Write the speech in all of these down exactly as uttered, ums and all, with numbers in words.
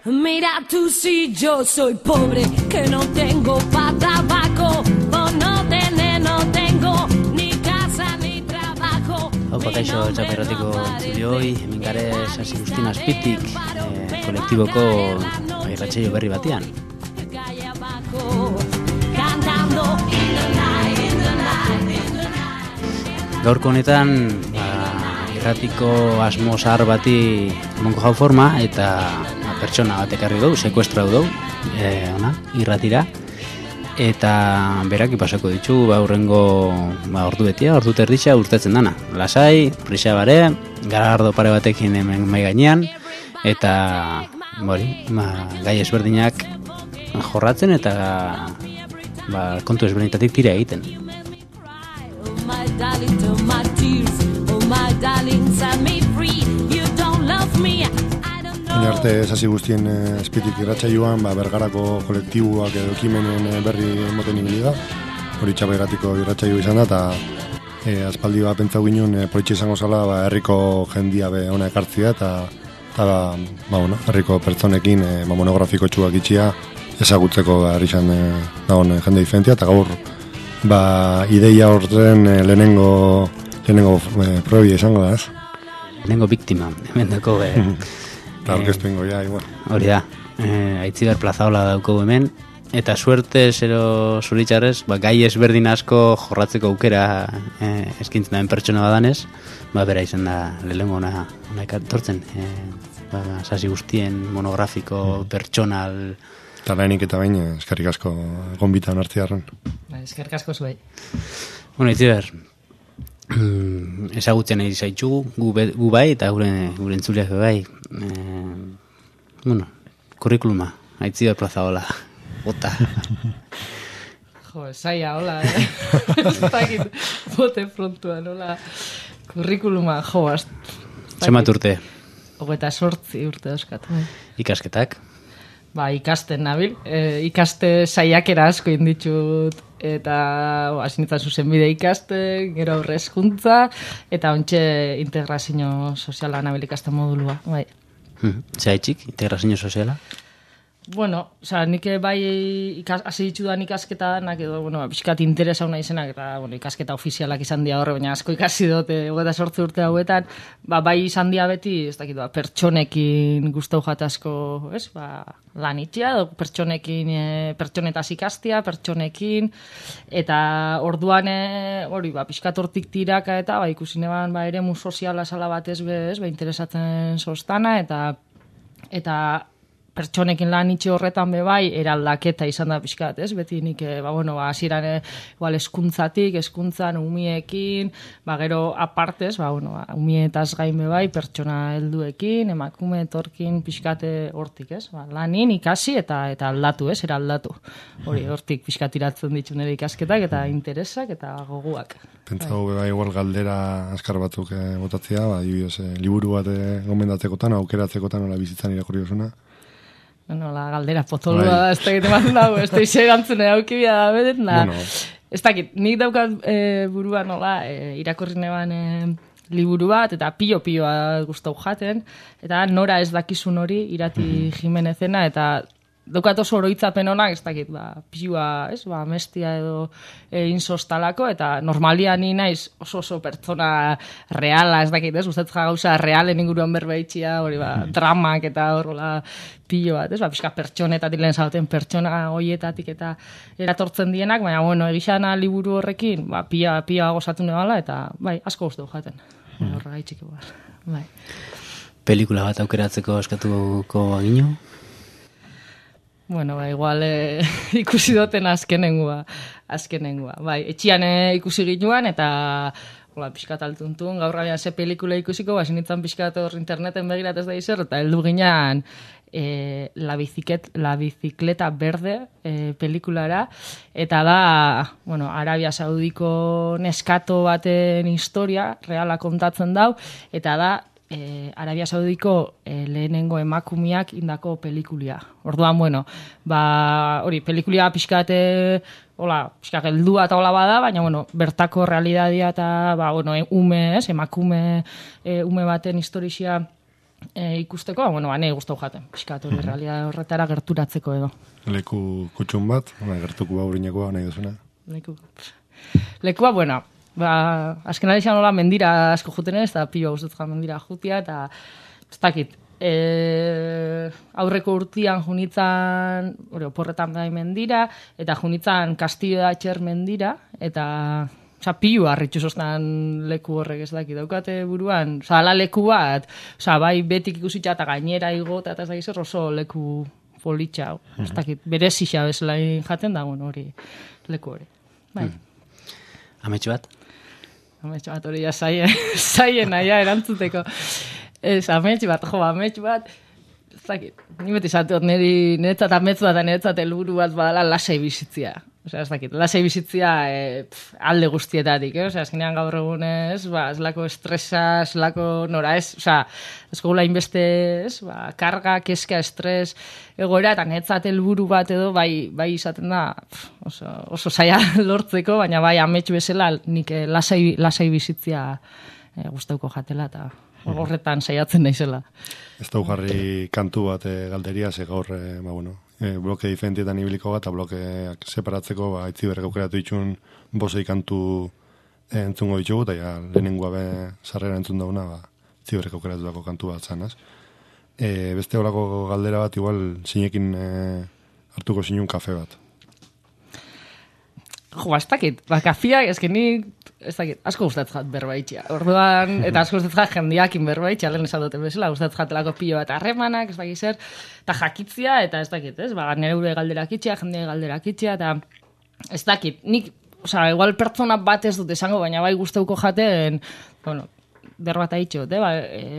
Mira tú si yo soy pobre, que no tengo pa' tabaco, por no tener, no tengo ni casa ni trabajo. Haupa kaixo txaperratiko zulioi, hemen gare Sasi Guztin Azpitik, eh, kolektiboko irratsaio berri batean. Gaurko honetan, ba, irratiko asmo zahar bati emango jau forma, eta pertsona bat ekarri dugu, sekuestrau dugu, e, ona, irratira, eta berak ipasako ditu, ba, urrengo ba, ordu betia, ordu terditxa urtetzen dana. Lasai, prisa bare, garardo pare batekin hemen mai gainean, eta bori, ba, gai ezberdinak jorratzen eta ba, kontu ezberdinetatik tira egiten. Baina arte Sasi Guztien Azpitik irratsaioan ba, Bergarako kolektibuak edo ekimenen berri emoten ibili da. Hori Txaperratiko irratsaio izan da, eta e, aspaldi bat pentsau ginen e, politxe izango zala ba, herriko jendia be ona ekartzia, eta eta ba, ba, bueno, herriko pertsonekin e, ba, monografiko txuak itxia ezagutzeko ba, herri izan e, dagoen jende diferentia, eta gaur ba, ideia horren e, lehenengo, lehenengo e, probia izango da, ez? Lehenengo biktima, hemen dako be... Eta orkestu ingo, ja, igual. Hori da, eh, Aitziber Plazaola daukogu hemen, eta suerte zero zuritxarrez, ba, gai ezberdin asko jorratzeko aukera eh, eskintzen daen pertsona badanez, ba, bera izan da lehenengo ona, ona ekartortzen, eh, ba, Sasi Guztien monografiko, pertsonal... Eta lehenik eta bain, eskerrik asko gonbitan hartziarren. Eskerrik asko zuei. Bueno, Aitziber, ezagutzen nahi zaitxugu, gu, gu bai, eta gure, gure entzuleak bai. Eh, bueno, kurrikuluma, Aitziber Plazaola, bota. Jo, saia, hola, eh? Ez dakit, bote frontuan, hola. Kurrikuluma, jo, az... Zemat urte? Hogeta sortzi urte dauzkat. Ikasketak? Ba, ikasten nabil. E, ikaste saiakera asko inditut, eta hasi nintzen zuzenbide ikasten, gero aurre hezkuntza, eta ontxe integrazio soziala nabil ikasten modulua. Bai. Hmm. Zaitxik, integrazio soziala? Bueno, oza, nik bai ikas, hasi ditudan ikasketa danak, edo, bueno, pixkat interesa hona izenak, eta, bueno, ikasketa ofizialak izan dia horre, baina asko ikasi dut, hogeta sortze urte hauetan, ba, bai izan dia beti, ez dakit, ba, pertsonekin gustau jatasko, ez, ba, lan itxia, edo pertsonekin, e, pertsonetaz ikastia, pertsonekin, eta orduan, e, hori, ba, pixkat hortik tiraka, eta, ba, ikusi neban, ba, ere mu soziala sala batez, bez, ba, interesatzen sostana, eta, eta, pertsonekin lan itxe horretan bebai, eraldaketa izan da pixkat, ez? Beti nik, ba, bueno, ba, hasieran igual eskuntzatik, eskuntzan umiekin, ba, gero apartez, ba, bueno, ba, umietaz gain bebai, pertsona helduekin, emakume etorkin pixkate hortik, ez? Ba, lanin ikasi eta eta aldatu, ez? Eraldatu. Hori, hortik pixkat iratzen ditu nire ikasketak, eta interesak, eta goguak. Pentsau, bebai, igual galdera askar batzuk eh, botatzea, ba, dibidez, eh, liburu bat eh, gomendatzekotan, aukeratzekotan, ola bizitzan irakurri osuna. Bueno, la galdera potolua da, ez dakit eman dago, ez da ise gantzune daukibia da, beden, da, bueno. Ez dakit, nik daukat e, burua nola, e, irakorri neban e, liburu bat, eta pilo-piloa gustau jaten, eta nora ez dakizun hori, Irati Jimenezena, eta daukat oso oroitzapen honak, ez dakit, ba, piua, ez, ba, mestia edo e, insostalako, eta normalia ni naiz oso oso pertsona reala, ez dakit, ez, gustatzen gauza realen inguruan berbeitxia, hori, ba, dramak eta horrela pilo bat, ez, ba, pixka pertsonetatik lehen zauten pertsona hoietatik eta eratortzen dienak, baina, bueno, egixana liburu horrekin, ba, pia, pia gozatu nebala, eta, bai, asko guztu jaten, mm. horra gaitxik, bai. Pelikula bat aukeratzeko eskatuko agino? Bueno, ba, igual eh, ikusi duten azkenengua, azkenengua. Bai, etxian eh, ikusi ginoan, eta hola, pixkat altuntun, gaur galean ze pelikula ikusiko, ba, sinitzen pixkat hor interneten begirat ez da izer, eta heldu ginean e, la, biciket, la bicicleta verde e, pelikulara, eta da, bueno, Arabia Saudiko neskato baten historia, reala kontatzen dau, eta da, E, Arabia Saudiko e, lehenengo emakumiak indako pelikulia. Orduan, bueno, ba, hori, pelikulia pixkate, hola, pixkat heldua eta hola bada, baina, bueno, bertako realidadia eta, ba, bueno, e, ume, ez, emakume e, ume baten historizia e, ikusteko, ba, bueno, ane guztau jaten, pixkat hori, realidade horretara gerturatzeko edo. Leku kutxun bat, gertuko baurinekoa nahi duzuna. Leku, lekua, bueno, ba, azken alexan hola mendira asko juten ez, eta pilo guztetzen mendira jutia, eta ez dakit, e, aurreko urtian junitzan, hori, oporretan bai mendira, eta junitzan Castillo da Txer mendira, eta oza, pilo harritxu zoztan leku horrek ez dakit, daukate buruan, oza, ala leku bat, oza, bai betik ikusitza eta gainera igota, eta ez dakit zer oso leku politxa, ez dakit, berezixa bezalain jaten da, bueno, hori, leku hori, bai. Ametxo bat? Ametxo bat hori ja zaien, zaien aia erantzuteko. Ez, ametxo bat, jo, ametxo bat, ez dakit, ni beti zateot niri niretzat ametxo bat, niretzat helburu bat badala lasai bizitzia. Osea, ez dakit, lasai bizitzia e, pf, alde guztietatik, eh? Osea, azkenean gaur egunez, ba, ez lako estresa, ez lako nora, ez, osea, ez gula inbeste, ez, ba, karga, keska, estres, egoera, eta netzat helburu bat edo, bai, bai izaten da, pf, oso, oso zaila lortzeko, baina bai ametxu bezala, nik lasai, lasai bizitzia e, gustauko jatela, eta horretan saiatzen naizela. Ez da jarri kantu bat e, galderia, ze gaur, e, ba, bueno, e, bloke diferentietan ibiliko bat, eta blokeak separatzeko, ba, Aitziberrek aukeratu itxun bosei kantu e, entzungo ditugu, eta ja, lehenengoa be sarrera entzun dauna, ba, Aitziberrek aukeratutako kantu bat zanaz. E, beste horako galdera bat, igual, zinekin e, hartuko zinun kafe bat. Jo, ez dakit, ba, kafia, ez ni, ez dakit, asko gustatzen jat berbaitxia. Orduan, eta asko gustatzen jat jendiakin berbaitxia, lehen esan duten bezala, gustatzen jatelako pilo bat harremanak, ez dakit zer, eta jakitzia, eta ez dakit, ez, ba, nire gure galderak itxia, jendea galderak itxia, eta ez dakit, nik, oza, igual pertsona bat ez dut esango, baina bai gustauko jaten, bueno, berbata itxot, eh? Ba,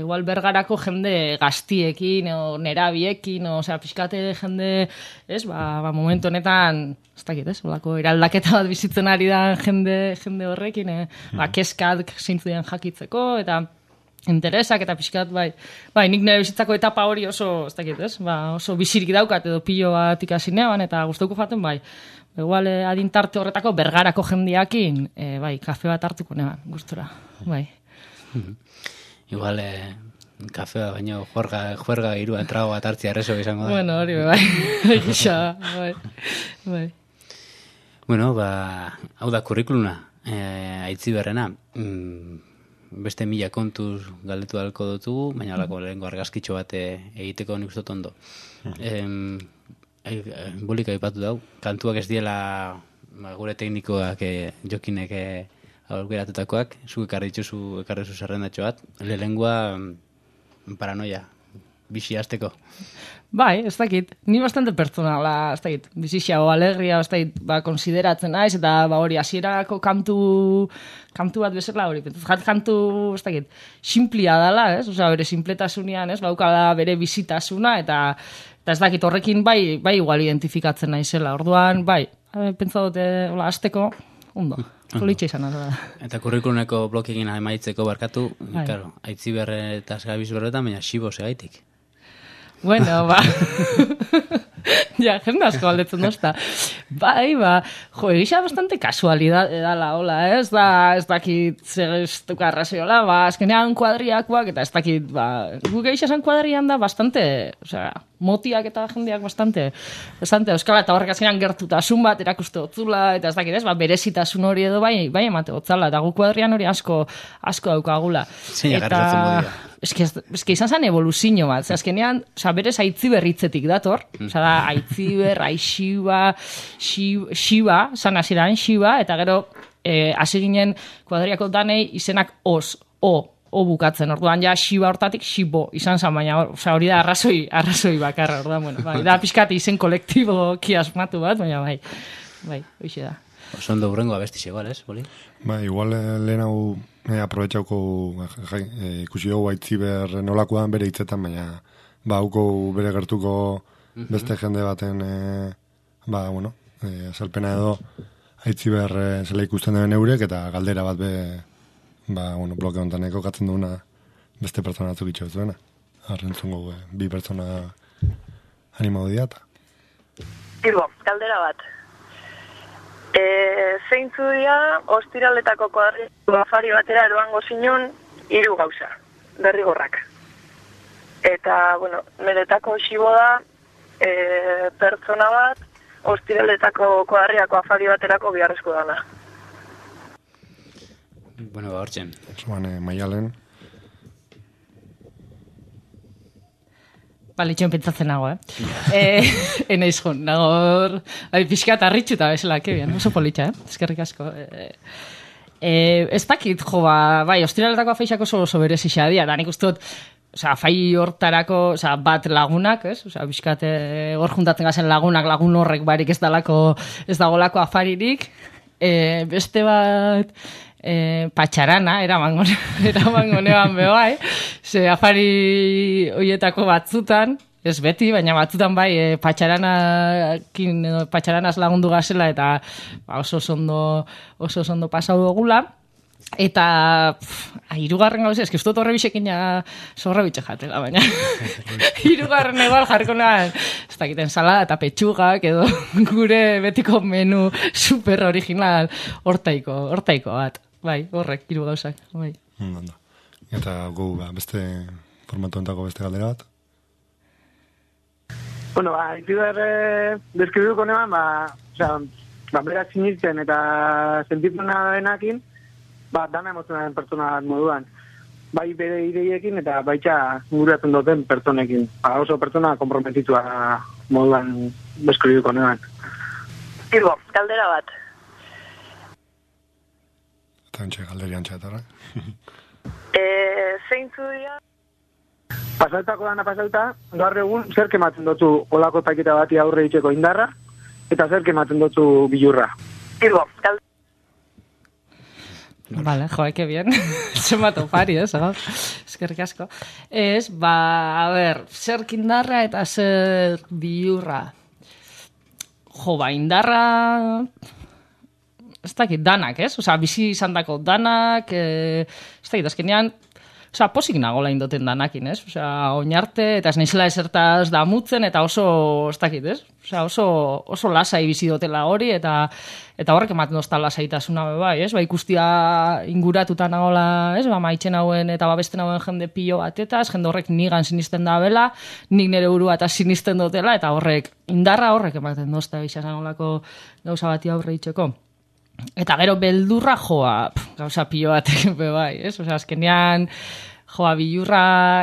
igual bergarako jende gaztiekin, o nerabiekin, o sea, pixkate jende, ez, ba, ba momentu honetan, ez dakit, ez, olako eraldaketa bat bizitzen ari da jende, jende horrekin, eh? Ba, keskat zeintzuen jakitzeko, eta interesak, eta pixkat, bai, bai, nik nire bizitzako etapa hori oso, ez dakit, ez, ba, oso bizirik daukat, edo pilo bat ikasinean, eta gustauko jaten, bai, igual eh, adintarte horretako bergarako jendiakin, eh, bai, kafe bat hartuko neban, gustura, bai. Igual, eh, kafea, baina juerga, juerga iruan trago bat hartzia errezo izango da. Bueno, hori, bai, gisa, bai, bai. Bueno, ba, hau da kurrikuluna, eh, Aitziberrena, mm, beste mila kontuz galdetu dalko dutugu, baina alako lehenko argazkitxo bat egiteko nik ustot ondo. Em, Bolika ipatu dau, kantuak ez diela ba, gure teknikoak eh, jokinek eh, aurkeratutakoak, zu ekarri dituzu, ekarri zu zerrendatxo bat, lehengoa paranoia, bizi hasteko. Bai, ez dakit, ni bastante personala, ez dakit, bizixia o alegria, ez dakit, ba, konsideratzen naiz, eta ba, hori, hasierako kantu, kantu bat bezala hori, jat kantu, ez dakit, simplia dala, ez, osea, bere simpletasunian, ez, bauka da bere bizitasuna, eta, eta ez dakit, horrekin bai, bai igual identifikatzen naizela, orduan, bai, pentsa dute, hola, hasteko, ondo. Politxe izan da. Eta kurrikuluneko blokekin amaitzeko barkatu, claro, Aitziberre eta Gabiz berretan, baina xibo segaitik. Bueno, ba. Ja, jende asko galdetzen dozta. Bai, ba, jo, egisa bastante kasualidad edala, hola, ez da, ez dakit zegeztuka arraziola, ba, azkenean kuadriakoak, eta ez dakit, ba, guk egisa zen kuadrian da bastante, osea, motiak eta jendeak bastante, bastante, euskala, eta horrek azkenean gertutasun bat erakuste otzula, eta ez dakit, ez, ba, berezitasun hori edo bai, bai emate otzala, eta guk kuadrian hori asko, asko daukagula. Zein agarratzen bodira. Eske, eske izan zen evoluzio bat, ze azkenean, oza, berez Aitziber hitzetik dator, oza da, Aitziber, Aixiba, Xiba, zan hasieran Xiba, eta gero, eh, hasi ginen kuadriako danei izenak os, o, o bukatzen, orduan ja Xiba hortatik Xibo, izan zen, baina oza, hori da arrazoi, arrazoi bakarra, orduan, bueno, bai, da pixkat izen kolektibo kiasmatu bat, baina bai, bai, hoxe da. Oso ondo hurrengo abestiz igual, ez, Boli? Ba, igual eh, lehen hau eh, aprobetxauko jai, eh, ikusi dugu Aitziber nolakoan bere hitzetan, baina ba, hauko bere gertuko beste jende baten eh, ba, bueno, eh, azalpena edo Aitziber eh, zela ikusten duen eurek, eta galdera bat be, ba, bueno, bloke honetan ekokatzen duena beste pertsona batzuk itxo zuena. Arrentzungo eh, bi pertsona animau diata. Ibo, galdera bat. E, zeintzu dira, ostiraletako koadriko afari batera eroango zinun, hiru gauza, derrigorrak. Eta, bueno, niretako xibo da, e, pertsona bat, ostiraletako koadriako afari baterako biharrezko dana. Bueno, ba, hortzen. Zuan, eh, Maialen. Balitxoen pentsatzen nago, eh? eh Enaiz jo, nago, bai, pixkat arritxuta bezala, que bien, oso politxa, eh? Eskerrik asko. Eh, eh, ez dakit, jo, ba, bai, ostiraletako afeixako oso, oso berezia dia, da nik uste dut, osea, afai hortarako, osea, bat lagunak, ez? Osea, pixkat, eh, hor juntatzen gazen lagunak, lagun horrek barik ez dalako, ez dagolako afaririk, eh, beste bat, Eh, patxarana, eramango eramango neban bebai, ze afari hoietako batzutan, ez beti, baina batzutan bai, eh, patxaranakin, patxaranaz lagundu gazela, eta ba, oso ondo oso ondo pasau dugula. Eta hirugarren gauza, eski ustot horre bisekin ja zorra bitxe jatela, baina hirugarren egual jarko nahan, ez dakiten salada eta petxugak edo gure betiko menu super original hortaiko, hortaiko bat. Bai, horrek, hiru gauzak, bai. Ondo. Eta gu, ba, beste formatu entako beste galdera bat? Bueno, ba, ikider eh, deskribuko neban, ba, osea, ba, berak sinitzen eta sentitzen denakin, ba, dana emozionaren pertsona moduan. Bai bere ideiekin eta baitxa inguratzen duten pertsonekin. Ba, oso pertsona komprometitua moduan deskribuko neban. Ibo, galdera bat. Eta entxe galderian txatarra. E, zeintzu dira? Pasautako dana pasauta, gaur egun zer kematzen dutu olako paketa bati aurre itxeko indarra, eta zer kematzen dutu bilurra. Ibo, galdera. Vale, joe, que bien. Se mató pari, ez, eh, eskerrik asko. Ez, ba, a ber, zer indarra eta zer biurra. Jo, ba, indarra... Ez dakit, danak, ez? Osa, bizi izan dako danak, e, ez dakit, azkenean, osa, posik nagola indoten danakin, ez? Osa, oinarte, eta ez naizela esertaz damutzen, eta oso, ez dakit, ez? Osa, oso, oso lasai bizi dotela hori, eta eta horrek ematen dozta lasaitasuna bai, ez? Ba, ikustia inguratuta nagola, ez? Ba, maitzen hauen eta babesten hauen jende pilo batetaz, jende horrek nigan sinisten da bela, nik nire burua eta sinisten dutela, eta horrek, indarra horrek ematen dozta bisa nagolako gauza bati aurre itxeko. Eta gero beldurra joa, pf, gauza pilo batek bai, ez? Osea, azkenean joa bilurra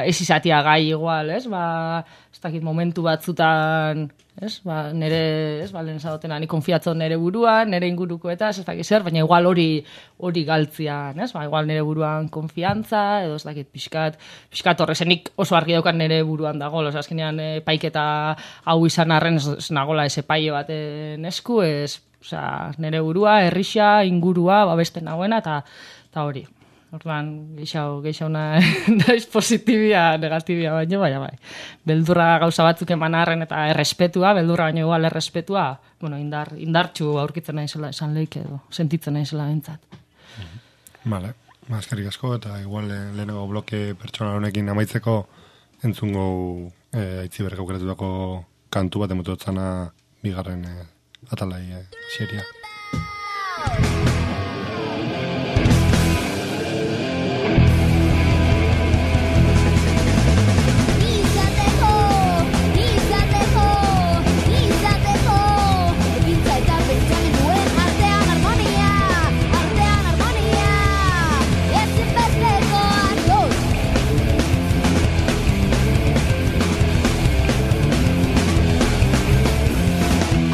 ez izatia gai igual, ez? Ba, ez dakit momentu batzutan, ez? Ba, nere, ez? Ba, lehen zadotena, ni konfiatzen nere buruan, nere inguruko eta ez dakit zer, baina igual hori hori galtzian, ez? Ba, igual nere buruan konfiantza, edo ez dakit pixkat, pixkat horrezenik oso argi daukan nere buruan dago, osea, azkenean e, paiketa hau izan arren ez, ez nagola ese paio baten esku, ez? Osea, nere burua, herrisa, ingurua, babesten nagoena, eta eta hori. Orduan, geixau, geixauna naiz positibia, negatibia baino, baina bai. Beldurra gauza batzuk eman arren eta errespetua, beldurra baino igual errespetua, bueno, indar, indartxu aurkitzen naizela esan leik edo, sentitzen naizela bentzat. Vale, eskerrik asko, eta igual eh, lehenago bloke pertsona honekin amaitzeko entzungo eh, Aitziber aukeratutako kantu bat emototzana bigarren eh, atalai eh, seria.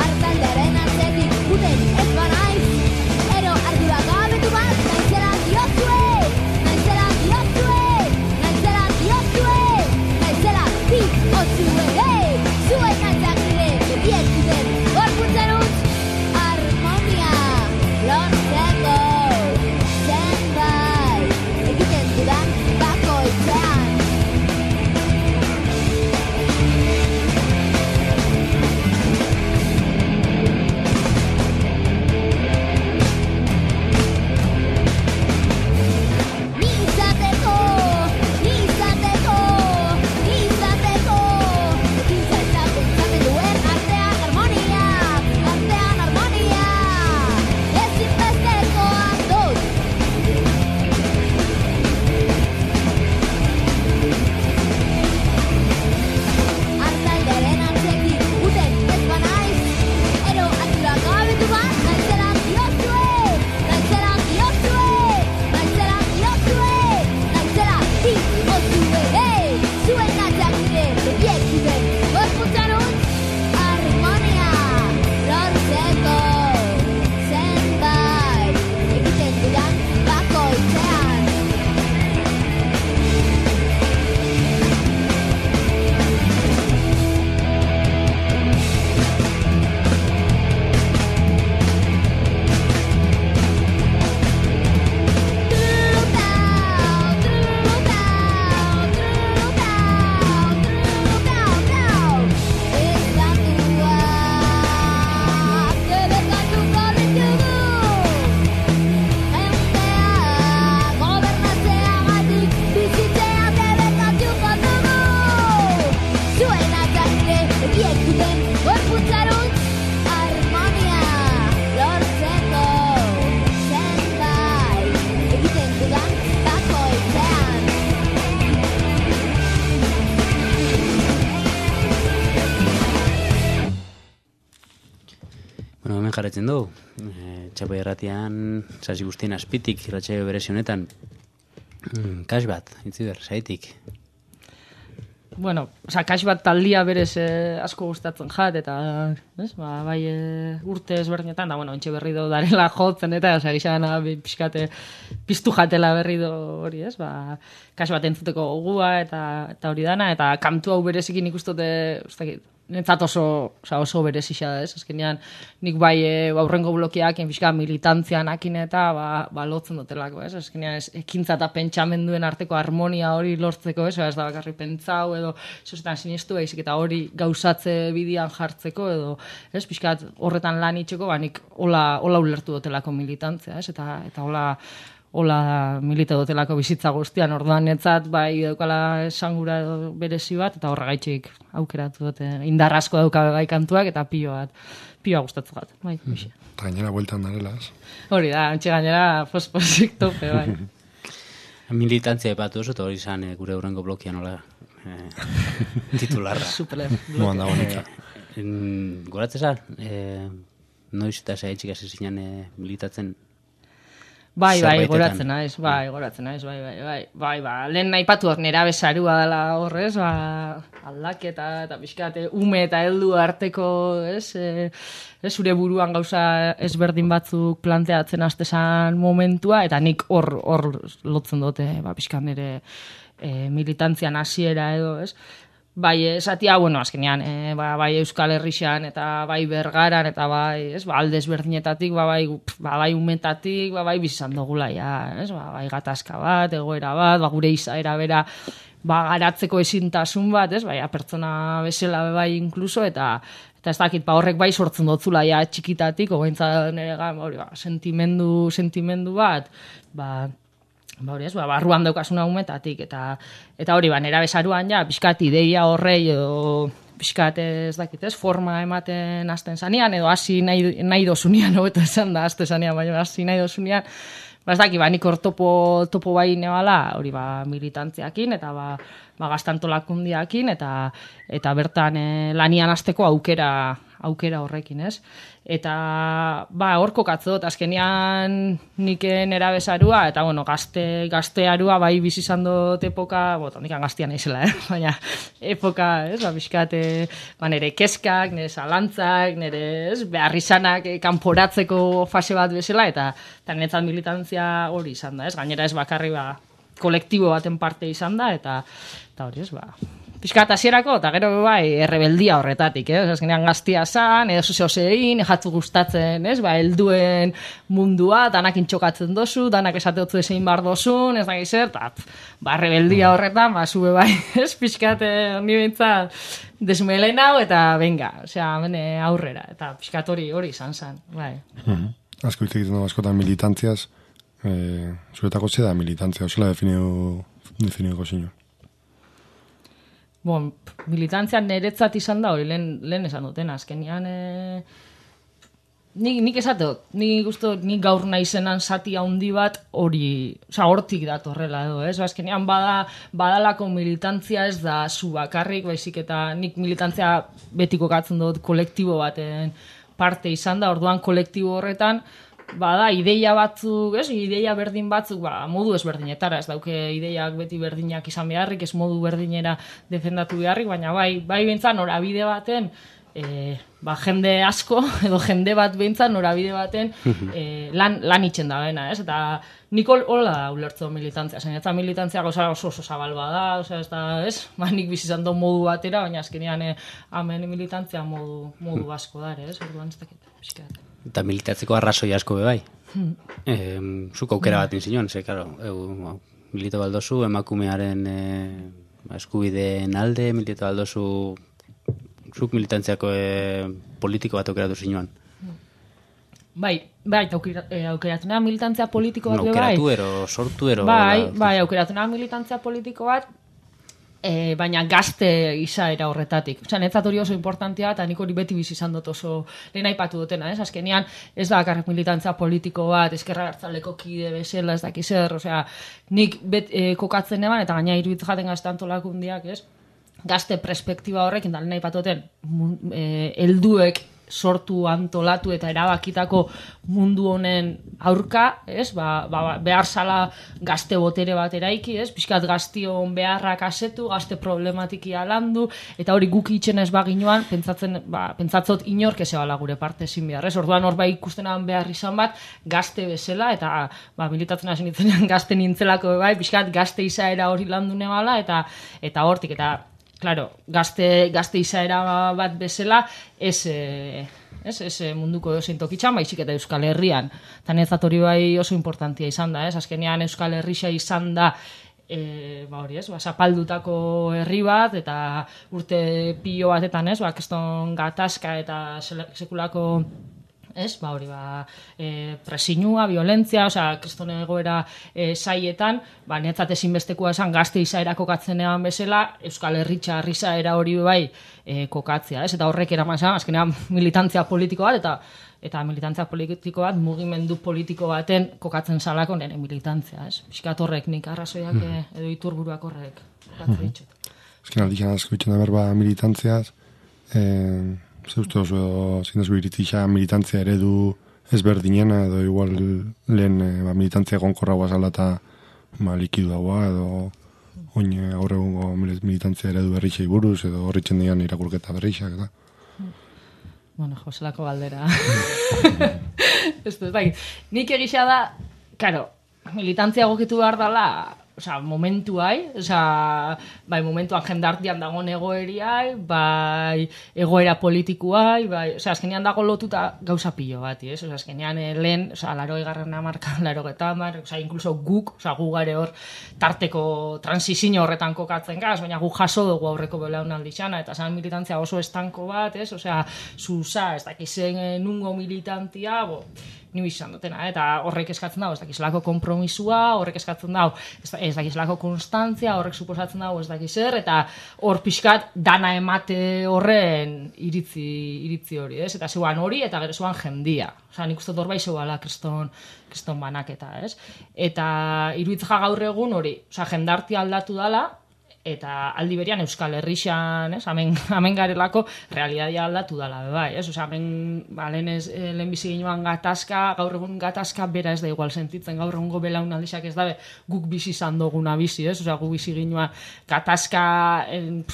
Artaldearen atzetik guten ez banaiz, jarretzen du. E, Txapai erratian, sasi guztien azpitik, irratsaio berezi honetan. Mm, kas bat, Itziber, zaitik. Bueno, oza, kax bat taldia berez eh, asko gustatzen jat, eta, ez, ba, bai eh, urte ezberdinetan, da, bueno, ontxe berri do darela jotzen, eta, oza, gizan, pixkate, piztu jatela berri do hori, ez, ba, kax bat entzuteko gogua, eta, eta hori dana, eta kantu hau berezikin ikustote, ustakit, netzat oso, oza, oso berezisa da, ez, azkenean, nik bai e, aurrengo blokeak, pixka militantzian akin eta, ba, ba lotzen dutelako, ez, azkenean, ez, ekintza eta pentsamenduen arteko harmonia hori lortzeko, ez, ez da bakarri pentsau, edo, sosetan sinistu, baizik eta hori gauzatze bidian jartzeko, edo, ez, pixkat horretan lan itxeko, ba, nik hola, hola ulertu dutelako militantzia, ez, eta, eta hola, hola milite dutelako bizitza guztian, orduan netzat, bai, daukala esangura berezi bat, eta horregaitxik aukeratu dute, indar asko dauka bai kantuak, eta pilo bat, pioa gustatzen bat, bai, bixe. Eta gainera bueltan darela, ez? Hori da, antxe gainera, fosposik tope, bai. Militantzia epatu oso, eta hori izan eh, gure hurrengo blokia nola eh, titularra. Super Moan da bonika. Eh, Goratzeza, eh, noiz eta zaitxik hasi zinen eh, militatzen. Bai, bai, Zerbaitetan. goratzen naiz, bai, goratzen naiz, bai, bai, bai, bai, ba, lehen nahi patu nera bezarua dela horrez, ba, aldaketa, eta pixkate, ume eta heldu arteko, ez, e, ez, zure buruan gauza ezberdin batzuk planteatzen hastezan momentua, eta nik hor, hor lotzen dute, ba, pixkan nire e, militantzian hasiera edo, ez, bai, esatia, bueno, azkenean, e, ba, bai Euskal Herrixan, eta bai Bergaran, eta bai, ez, ba, alde ezberdinetatik, ba, bai, ba, bai umetatik, ba, bai bizizan dugula, ja, ez, ba, bai gatazka bat, egoera bat, ba, gure izaera bera, ba, garatzeko ezintasun bat, ez, bai, pertsona bezala bai inkluso, eta eta ez dakit, ba, horrek bai sortzen dotzula, ja, txikitatik, ogaintza nire gan, hori, ba, sentimendu, sentimendu bat, ba, ba hori ez, ba, barruan daukasuna umetatik, eta eta hori, ba, nera bezaruan, ja, pixkat ideia horrei, edo pixkat ez dakit, ez, forma ematen hasten zanean, edo hasi nahi, nahi dozunian, hobeto esan da, hasten zanean, baina hasi nahi dozunian, ba, ez dakit, ba, nik hor topo, topo bai nebala, hori, ba, militantziakin, eta, ba, ba gaztantolakundiakin, eta, eta bertan e, lanian hasteko aukera, aukera horrekin, ez? Eta, ba, hor kokatzot, azkenean nik nera bezarua, eta, bueno, gazte, gaztearua bai bizizan dut epoka, boto, nikan gaztian naizela, eh? Baina, epoka, ez, ba, bizkate, ba, nire keskak, nire zalantzak, nire, ez, beharrizanak eh, kanporatzeko fase bat bezala, eta, eta niretzat militantzia hori izan da, ez? Gainera ez bakarri, ba, kolektibo baten parte izan da, eta, eta hori, ez, ba, pixkat hasierako, eta gero bai, errebeldia horretatik, eh? Azkenean gaztia zan, edo zuzio zein, jatzu gustatzen, ez? Ba, helduen mundua, danak intxokatzen dozu, danak esateotzu ezein bar dozun, ez da gizer, eta, ba, errebeldia horretan, ba, zube bai, ez? Pixkat, honi bintzat, desmelen hau, eta venga, osea, bene aurrera, eta pixkat hori hori izan zan, bai. Uh-huh. Asko hitz egiten du askotan militantziaz, eh, zuretako ze da militantzia, osela definiu, definiuko zinuen. Bon, militantzia niretzat izan da hori, lehen, lehen esan duten, azkenean, e, nik, nik esateot, nik uste, nik gaur naizenan zati handi bat hori, oza, hortik datorrela edo, ez? Azkenean bada, badalako militantzia ez da zu bakarrik, baizik eta nik militantzia betiko katzen dut kolektibo baten parte izan da, orduan kolektibo horretan, bada, ideia batzuk, ez, ideia berdin batzuk, ba, modu ezberdinetara, ez dauke ideiak beti berdinak izan beharrik, ez modu berdinera defendatu beharrik, baina bai, bai behintzat norabide baten, e, ba, jende asko, edo jende bat behintzat norabide baten e, lan, lan itxen da bena, ez, eta nik hola da ulertzo militantzia, zen, eta militantzia goza oso oso zabal bada, oza, ez da, ez, ba, nik bizizan do modu batera, baina azkenean e, hemen militantzia modu, modu asko dare, ez, orduan ez dakit, pixkat. Eta militatzeko arrazoi asko be bai. Hmm. E, zuk aukera bat inzinuan, ze, karo, eu, milito baldozu, emakumearen e, eskubideen alde, milito baldozu, zuk militantziako e, politiko bat aukeratu zinuan. Bai, bai, aukera, e, aukeratu nahi militantzia politiko bat, no, bai. Aukeratu ero, sortu ero. Bai, la, bai, aukeratu nahi militantzia politiko bat, E, baina gazte izaera horretatik. Osa, netzat hori oso importantia, eta nik hori beti bizi izan dut oso lehen aipatu dutena, ez? Azkenean, ez da bakarrik militantza politiko bat, eskerra hartzaleko kide bezala, ez dakiz zer, osea, nik bet, e, kokatzen eban, eta gaina iruditz jaten gaztantolakundiak, ez? Gazte perspektiba horrekin, da lehen aipatu duten, e, helduek sortu, antolatu eta erabakitako mundu honen aurka, ez? Ba, ba, behar zala gazte botere bat eraiki, ez? Piskat gaztion beharrak asetu, gazte problematikia landu, eta hori guk itxen ez baginoan, pentsatzen, ba, pentsatzot inork ez ebala gure parte ezin behar, ez? Orduan hor bai ikustenan behar izan bat, gazte bezala, eta ba, militatzen hasi nintzenean gazte nintzelako bai, piskat gazte izaera hori landu nebala, eta eta hortik, eta claro, gazte, gazte izaera bat bezala, ez, ez, ez munduko edozein tokitxan, baizik eta Euskal Herrian. Eta netzat hori bai oso importantia izan da, ez? Azkenean Euskal Herria izan da, e, ba hori ez, ba, zapaldutako herri bat, eta urte pilo batetan, ez? Ba, keston gatazka eta sekulako, ez, ba hori, ba, e, presinua, violentzia, osea, kriston egoera e, saietan, ba, netzat ezinbestekoa esan gazte izaera kokatzenean bezala, Euskal Herritxa izaera hori bai e, kokatzea, ez, eta horrek eraman zan, azkenean militantzia politiko bat, eta eta militantzia politiko bat, mugimendu politiko baten kokatzen salako nire militantzia, ez, pixkat horrek nik arrazoiak mm. edo iturburuak horrek kokatzen mm. ditut. Azken aldikan asko itxen da berba militantziaz, eh, Zeuste oso zinezko iritzixa militantzia eredu ezberdinena edo igual lehen ba, militantzia gonkorra guazala eta ba, likidu dagoa edo oin gaur egungo militantzia eredu berritxei buruz edo horritzen dian irakurketa berrixak eta. Bueno, joselako galdera. Ez dut, bai, nik egisa da, karo, militantzia gokitu behar dela, osea, momentu hai, osea, bai, momentuan jendartian dagoen egoeriai, bai, egoera politikoai, bai, osea, azkenean dago lotuta gauza pilo bati, ez? Osea, azkenean lehen, osea, laro egarren amarka, laro getamar, osea, inkluso guk, osea, gu gare hor tarteko transizio horretan kokatzen gaz, baina gu jaso dugu aurreko belaunaldi xana, eta zan militantzia oso estanko bat, ez? Osea, zuza, ez dakizen nungo militantia, bo, ni izan dutena, eta horrek eskatzen dago, ez dakizlako kompromisua, horrek eskatzen dago, ez dakizlako konstantzia, horrek suposatzen dago, ez dakizer, eta hor pixkat dana emate horren iritzi, iritzi hori, ez? Eta zeuan hori, eta gero zeuan jendia. Osa, nik uste dorbai zeuala kriston, kriston banaketa, ez? Eta iruitza gaur egun hori, osa, jendartia aldatu dala, eta aldi berian Euskal Herrixan, ez, hemen, hemen garelako realidadia aldatu dala, bai, ez, osea, hemen, ba, lehen ez, lehen bizi ginoan gatazka, gaur egun gatazka bera ez da igual sentitzen, gaur egungo belaunaldixak ez dabe, guk bizi izan duguna bizi, ez, osea, guk bizi ginoan gatazka,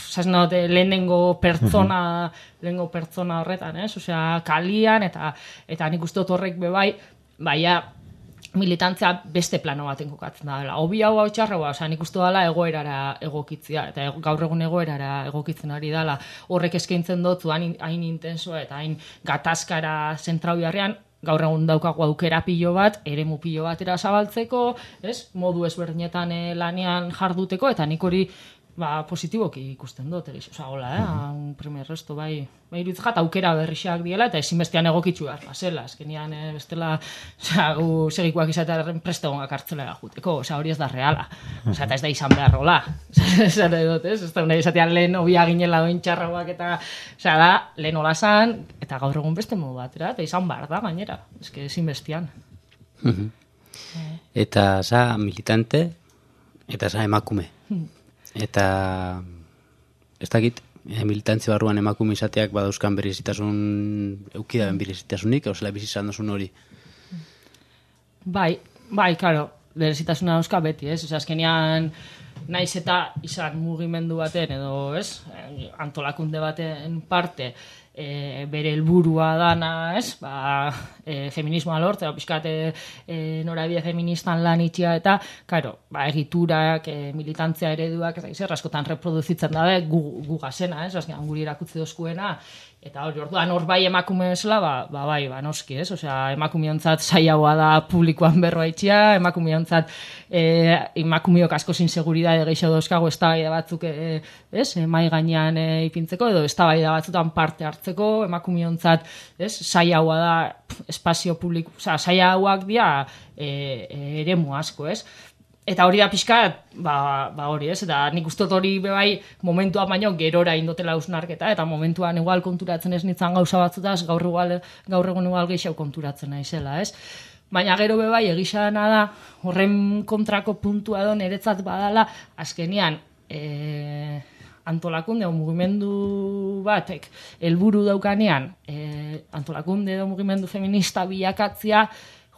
zaznot, lehenengo pertsona, lehenengo pertsona horretan, ez, osea, kalian, eta, eta nik uste dut horrek bebai, baina, militantzia beste plano baten kokatzen da dela. Obi hau hau txarra, osea, nik uste dela egoerara egokitzia, eta gaur egun egoerara egokitzen ari dela, horrek eskaintzen dutzu hain, hain intensoa eta hain gatazkara zentrau jarrean, gaur egun daukagu aukera pilo bat, eremu pilo batera zabaltzeko, ez? Modu ezberdinetan eh, lanean jarduteko, eta nik hori ba, positiboki ikusten dut, osea, hola, eh? Un primer resto, bai, bai irutzat aukera berrixak diela, eta ezinbestean egokitzu behar, basela, azkenian, eh, bestela, osea, gu segikoak izatearen prestegonak hartzelera juteko, osea, hori ez da reala, osea, eta ez da izan behar rola, osea, dut, ez, ez da, nahi izatean lehen obia ginela doin txarrauak, eta, osea, da, lehen hola zan, eta gaur egun beste modu batera, eta izan behar da, gainera, eske ezinbestean. Eta, za, militante, eta za, emakume. Eta ez dakit, eh, militantzia barruan emakume izateak badauzkan berezitasun, eukidaben berezitasunik, hausela bizizan dozun hori? Bai, bai, karo, berezitasuna dauzka beti, ez? Osea, azkenean, naiz eta izan mugimendu baten, edo, ez? Antolakunde baten parte, e, bere helburua dana, ez? Ba, e, feminismoa lortzea, pixkat e, e, norabide feministan lan itxia eta, karo, ba, egiturak, e, militantzia ereduak, ez da, askotan reproduzitzen da, gu, gu gazena, ez? Azkenean guri erakutzi dozkuena, eta hori, orduan hor bai emakume esela, ba, ba bai, ba, noski, ez? Osea, emakumeontzat zailagoa da publikoan berroa itxia, emakumeontzat e, emakumeok asko inseguridade gehiago dauzkago eztabaida batzuk, e, ez? E, mai gainean e, ipintzeko, edo eztabaida batzutan parte hartzeko, emakumeontzat, ez? Zailagoa da espazio publiko, osea, zailagoak dira e, e, eremu asko, ez? Eta hori da pixkat, ba, ba hori ez, eta nik ustot hori bebai momentuan baino gerora indotela ausnarketa, eta momentuan igual konturatzen ez nintzen gauza batzutaz, gaur, igual, gaur egun igual gehiago konturatzen naizela, ez? Baina gero bebai egizana da, horren kontrako puntua edo niretzat badala, azkenian, e, antolakunde o mugimendu batek helburu daukanean, e, antolakunde edo mugimendu feminista bilakatzia,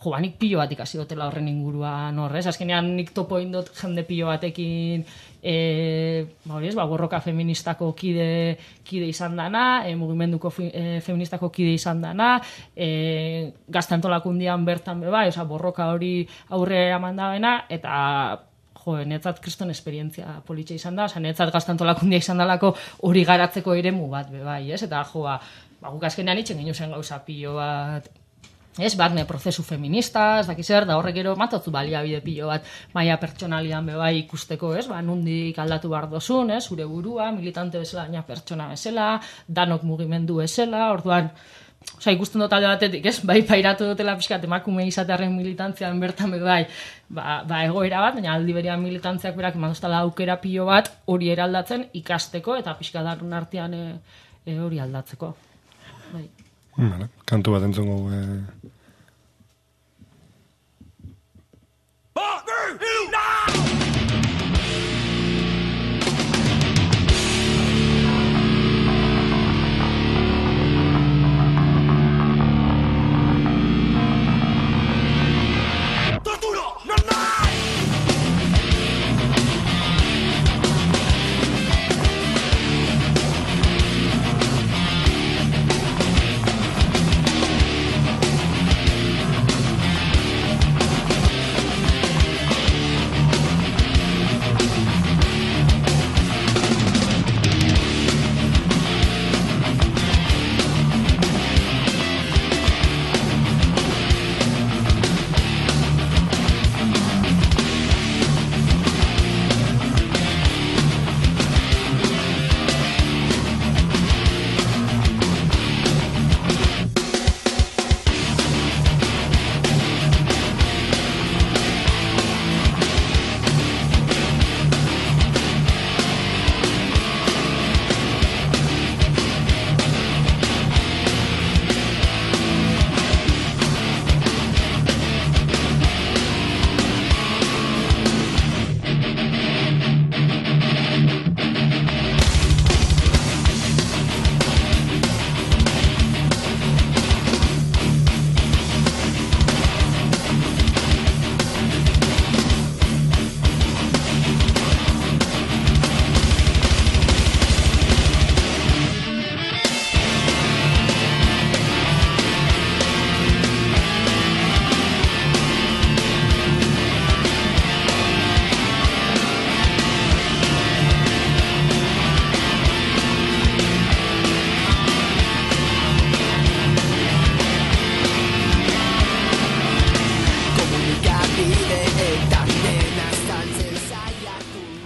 jo, ba, nik pilo bat ikasi dutela horren inguruan horrez. Azkenean nik topo indot jende pilo batekin, e, ba, hori ez, ba, borroka feministako kide, kide izan dana, e, mugimenduko fi, e, feministako kide izan dana, e, gazte antolakundian bertan beba, oza, borroka hori aurre eraman dabena, eta jo, netzat kriston esperientzia politxe izan da, oza, netzat gazte antolakundia izan dalako hori garatzeko eremu bat bebai, ez? Eta jo, ba, ba guk azkenean itxen gino zen gauza pilo bat, ez, barne prozesu feminista, ez dakiz zer, da horrek gero matotzu baliabide pilo bat maila pertsonalian bebai ikusteko, ez, ba, nundik aldatu behar dozun, ez, zure burua, militante bezala, baina pertsona bezala, danok mugimendu bezala, orduan, oza, ikusten dut alde batetik, ez, bai pairatu dutela pixkat emakume izatearen militantzian bertan bebai, ba, ba egoera bat, baina aldi berean militantziak berak ematoztala aukera pilo bat hori eraldatzen ikasteko, eta pixka darun artean e, e, hori aldatzeko. Bai. Vale, kantu bat entzongo eh...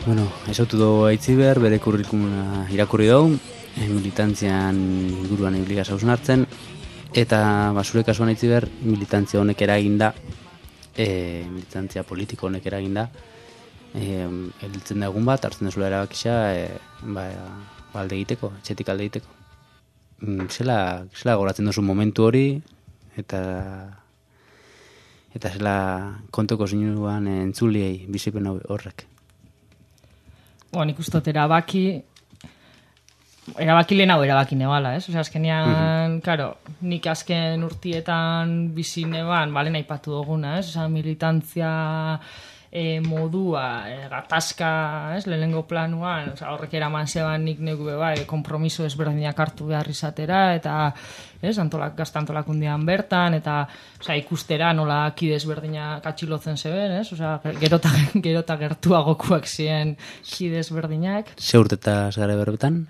Bueno, esautu dugu Aitziber, bere kurrikuluma irakurri dugu, militantzian inguruan ibili gauzun hartzen, eta basure kasuan Aitziber, militantzia honek eraginda, e, militantzia politiko honek eraginda, e, ediltzen da egun bat, hartzen dezula erabakisa, e, ba, alde egiteko, etxetik alde egiteko. Zela, zela goratzen duzu momentu hori, eta eta zela kontoko zinuan entzuliei bizipen horrek. Bueno, nik ustot erabaki, erabaki lehen hau erabaki nebala, ez? Osea, azkenean, mm-hmm. Karo, nik azken urtietan bizi neban, bale nahi patu duguna, ez? Osea, militantzia e, modua, e, gatazka, ez? Lehenengo planuan, osea, horrek eraman zeban nik negu beba, e, kompromiso ezberdinak hartu behar izatera, eta, ez? Antolak, gazta antolakundian bertan, eta, osea, ikustera nola kide ezberdinak atxilotzen zeben, ez? Osea, gerota, gerota gertuagokuak ziren kide ezberdinak. Ze urtetaz gara berbetan?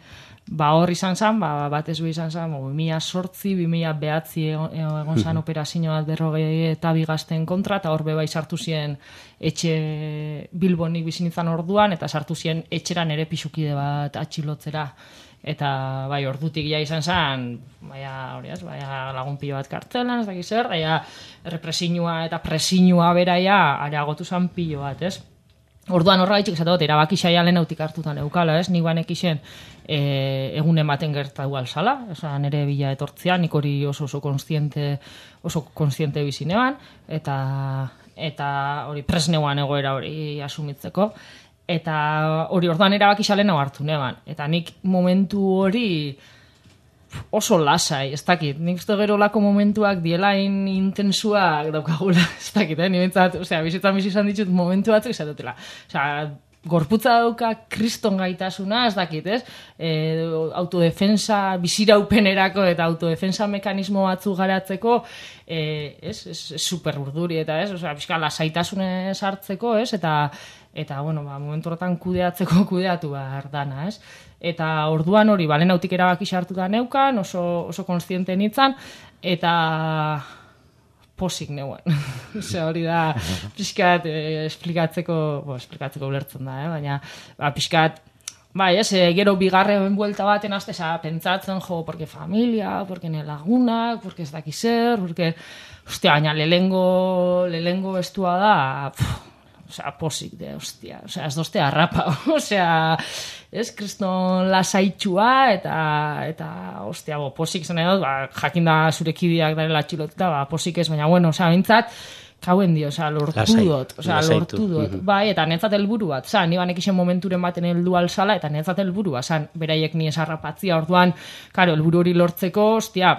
Ba hor izan zen, ba, bat ez izan zen, bi mila zortzi, bi mila behatzi egon, egon zen operazio bat berrogei eta bi gazten kontra, eta hor beba sartu ziren etxe Bilbonik bizin izan orduan, eta sartu ziren etxeran ere pixukide bat atxilotzera. Eta bai, ordutik ja izan zen, baina hori ez, baina lagun pilo bat kartzelan, ez dakiz zer, baina represinua eta presinua beraia areagotu zen pilo bat, ez? Orduan horra gaitxik esatot, erabaki saia lehen hautik hartutan eukala, ez? Nik banek isen e, egun ematen gertatu alzala, eza nire bila etortzea, nik hori oso oso konstiente, oso konstiente bizinean, eta eta hori presneuan egoera hori asumitzeko. eta hori orduan erabaki xalen hau hartu neban. Eta nik momentu hori oso lasai, ez dakit. Nik uste gero lako momentuak dielain intensuak daukagula, ez dakit, eh? Ni bentsat, osea, bizitzan bizi izan ditut momentu batzuk izatutela. Osea, gorputza dauka kriston gaitasuna, ez dakit, ez? E, autodefensa, biziraupenerako eta autodefensa mekanismo batzu garatzeko, e, ez? Ez, ez super urduri, eta ez? Osea, pixka lasaitasunez hartzeko, ez? Eta, eta bueno, ba, momentu horretan kudeatzeko kudeatu behar dana, ez? Eta orduan hori, balen autik erabaki hartuta neukan, oso, oso konstiente nintzen, eta posik neuen. Osea, hori da, pixkat, eh, esplikatzeko, bo, esplikatzeko ulertzen da, eh? Baina, ba, pixkat, bai, ez, eh, gero bigarren buelta baten azte, eza, pentsatzen, jo, porque familia, porque ne lagunak, porque ez daki zer, porque, ostia, baina lehengo, lehengo estua da, pff, osea, posik de, ostia, osea, ez dozte harrapa, osea, ez, kriston lasaitxua, eta, eta, ostia, bo, posik zen edo, ba, jakinda zure kideak darela txiloteta, ba, posik ez, baina, bueno, osea, bintzat, kauen dio, osea, lortu Lasai, dut, osea, lortu dut, mm-hmm. Bai, eta netzat helburu bat, osea, ni banek isen momenturen baten heldu alzala, eta netzat helburua, osea, beraiek ni esarrapatzia, orduan, karo, helburu hori lortzeko, ostia,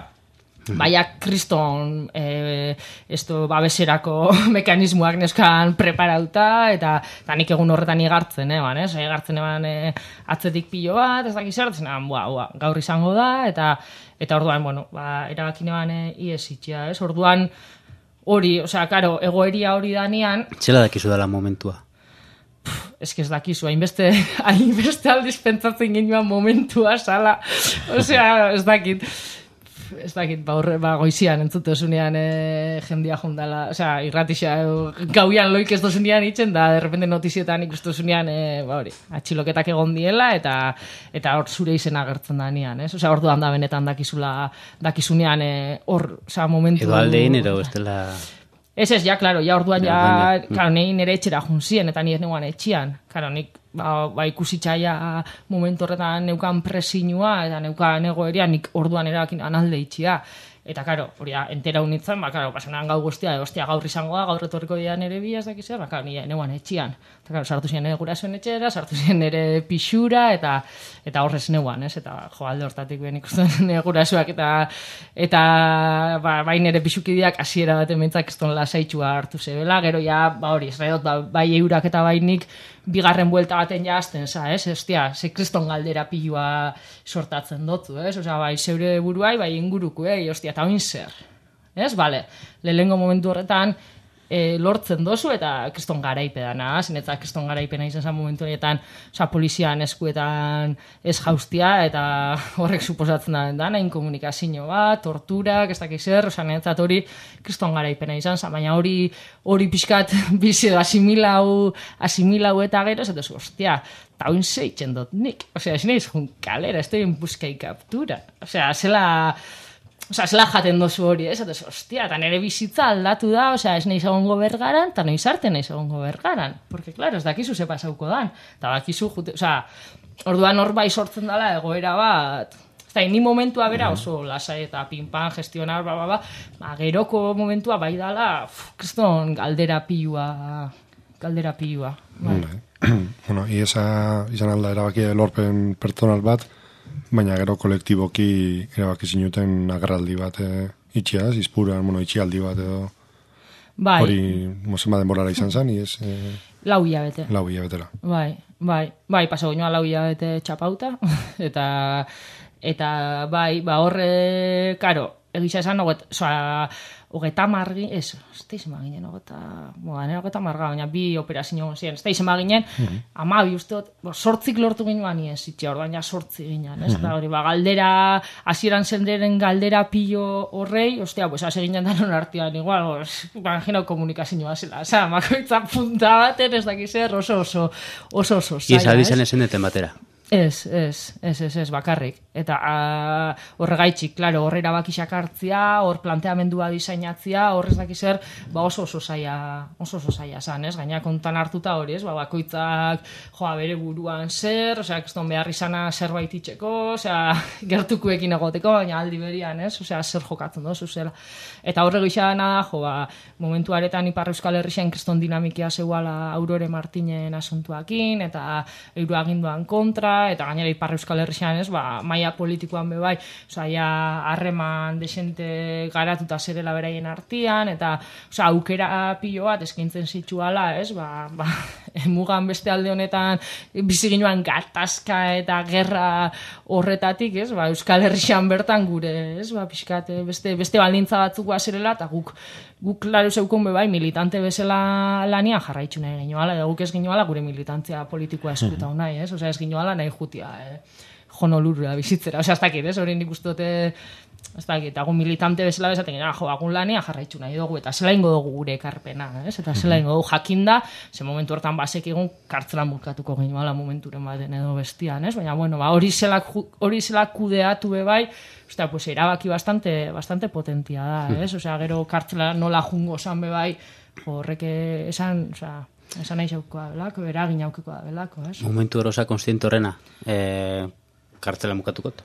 baina kriston eh, esto babeserako mekanismoak neskan preparauta, eta, eta nik egun horretan igartzen, eban, ez? Igartzen eban eh, atzetik pilo bat, ez dakiz hartzen, bua, bua, gaur izango da, eta eta orduan, bueno, ba, erabakin eban eh, ies itxia, ez? Orduan hori, osea, karo, egoeria hori danean... Txela dakizu dela momentua? Ez que ez dakizu, hainbeste, hainbeste aldiz pentsatzen ginean momentua, sala, osea, ez dakit... Ez dakit, ba, horre, ba, goizian entzutezunean e, jendia jondala, osea, irratixa, e, gauian loik ez dozunean itzen, da, derrepente notizietan ikustuzunean, e, ba, hori, atxiloketak egon diela, eta eta hor zure izena agertzen da nian, ez? Osea, orduan da benetan dakizula, dakizunean, hor, e, osea, momentu... Edo aldein, edo ez dela... Ez ez, ja, klaro, ja orduan, ja, klaro, nahi nire etxera junzien, eta nire neuan etxian, klaro, nik, ba, ba ikusitzaia momentu horretan neukan presinua, eta neukan egoeria, nik orduan erakin analde itxia. Eta, karo, hori da, entera unitzen, ba, karo, pasanean gau guztia, ostia, gaur izango da, gaur etorriko dira nire bi, ez dakizea, ba, karo, nire neuan etxian. Eta, karo, sartu ziren nire gurasoen etxera, sartu ziren nire pixura, eta eta horrez neuan, ez? Eta, jo, alde hortatik ben ikusten nire gurasoak, eta, eta ba, bai nire pixukideak hasiera baten mentzak eston lasaitxua hartu zebela, gero ja, ba, hori, ez dut, ba, bai eurak eta bai nik, bigarren buelta baten ja azten, za, ez? Ostia, ze kriston galdera pilua sortatzen dotu, ez? Osea, bai, zeure buruai, bai inguruko, eh? Ostia, eta oin zer, ez? Bale, lehengo momentu horretan e, lortzen dozu, eta kriston garaipedana, zinetza kriston garaipena izan zen momentu horretan, osea, polizian eskuetan ez jaustia, eta horrek suposatzen da dana, inkomunikazio bat, torturak, ez dakiz zer, osea, niretzat hori kriston garaipena izan zen, baina hori hori pixkat bizi edo asimilau, asimilau eta gero, ez dut, ostia, eta oin zeitzen dut nik, osea, ez nahiz jun kalera, ez da buskai kaptura, osea, zela... Osea, zela jaten dozu hori, ez? Eta, ostia, eta nire bizitza aldatu da, osea, ez nahiz egongo bergaran, eta nahiz arte nahiz egongo bergaran. Porque, claro, ez dakizu ze pasauko dan. Eta bakizu, jute, osea, orduan hor bai sortzen dela egoera bat, ez da, ni momentua bera oso lasai eta pinpan gestionar, ba, ba, ba, ba, geroko momentua bai dala, kriston galdera pilua, galdera pilua. Bai. Bueno, iesa izan alda erabaki lorpen pertsonal bat, baina gero kolektiboki erabaki zinuten agerraldi bat e, itxiaz, izpuran, bueno, itxialdi bat edo bai. Hori, mozema denborara izan zen, iez... E, lau hilabete. Lau hilabetera. Bai, bai, bai, paso goinoa lau hilabete txapauta, eta, eta bai, ba horre, karo, egisa esan, oget, soa, hogeta margi, ez, ez da izan baginen, hogeta, boa, nire hogeta marga, baina bi operazio ziren, ez da izan baginen, mm-hmm. ama bi usteot, bo, sortzik lortu ginoan ez, itxe, orduan ja sortzi ginen, ez, mm-hmm. da hori, ba, galdera, hasieran zenderen galdera pillo horrei, ostia, pues, hase ginen danon artean, igual, imagino komunikazioa zela, oza, makoitza punta baten, ez dakizer, oso, oso, oso, oso, zaila, Iesa bizan esen deten batera. Ez, ez, ez, ez, ez, bakarrik. Eta uh, horregaitxik, klaro, horre erabakisak hartzia, hor planteamendua diseinatzia, horrez daki zer, ba oso oso zaila, oso oso zaila zan, ez? Gaina kontan hartuta hori, ez? Ba, bakoitzak, joa, bere buruan zer, osea, kriston behar izana zerbait itxeko, osea, gertukuekin egoteko, baina aldi berian, ez? Osea, zer jokatzen dozu zela. Eta horre gixana da, jo, ba, momentu aretan Ipar Euskal Herrixen kriston dinamikia zeuala Aurore Martinen asuntuakin, eta euro aginduan kontra, eta gainera Ipar Euskal Herrixen, ez? Ba, maila politikoan bebai, osea, ja, harreman desente garatuta zerela beraien artian, eta, osea, aukera pilo bat eskaintzen zituala, ez? Ba, ba, mugan beste alde honetan biziginuan gatazka eta gerra horretatik, ez? Ba, Euskal Herrixan bertan gure, ez? Ba, pixkat, beste, beste baldintza batzuk bazerela, eta guk, guk klaro zeukon bebai militante bezala lanian jarraitzu nahi genioala, eta guk ez genioala gure militantzia politikoa eskuta nahi, ez? Osea, ez genioala nahi jutia, eh? Honolurura bizitzera, osea, ez dakit, ez? Hori nik uste dute, ez dakit, agun militante bezala bezaten gena, jo, agun lania jarraitzu nahi dugu, eta zela ingo dugu gure ekarpena, ez? Eta zela ingo dugu jakinda, ze momentu hortan basek egun kartzelan bulkatuko genioala momenturen baten edo bestian, ez? Baina, bueno, ba, hori zela, hori zela kudeatu bebai, ostia, pues, erabaki bastante, bastante potentia da, ez? Osea, gero kartzela nola jungo zan bebai, jo, horrek esan, osea, esan nahi zauko da belako, eragin aukiko da belako, ez? Momentu erosa konstiente horrena, eh, kartzela mukatukot?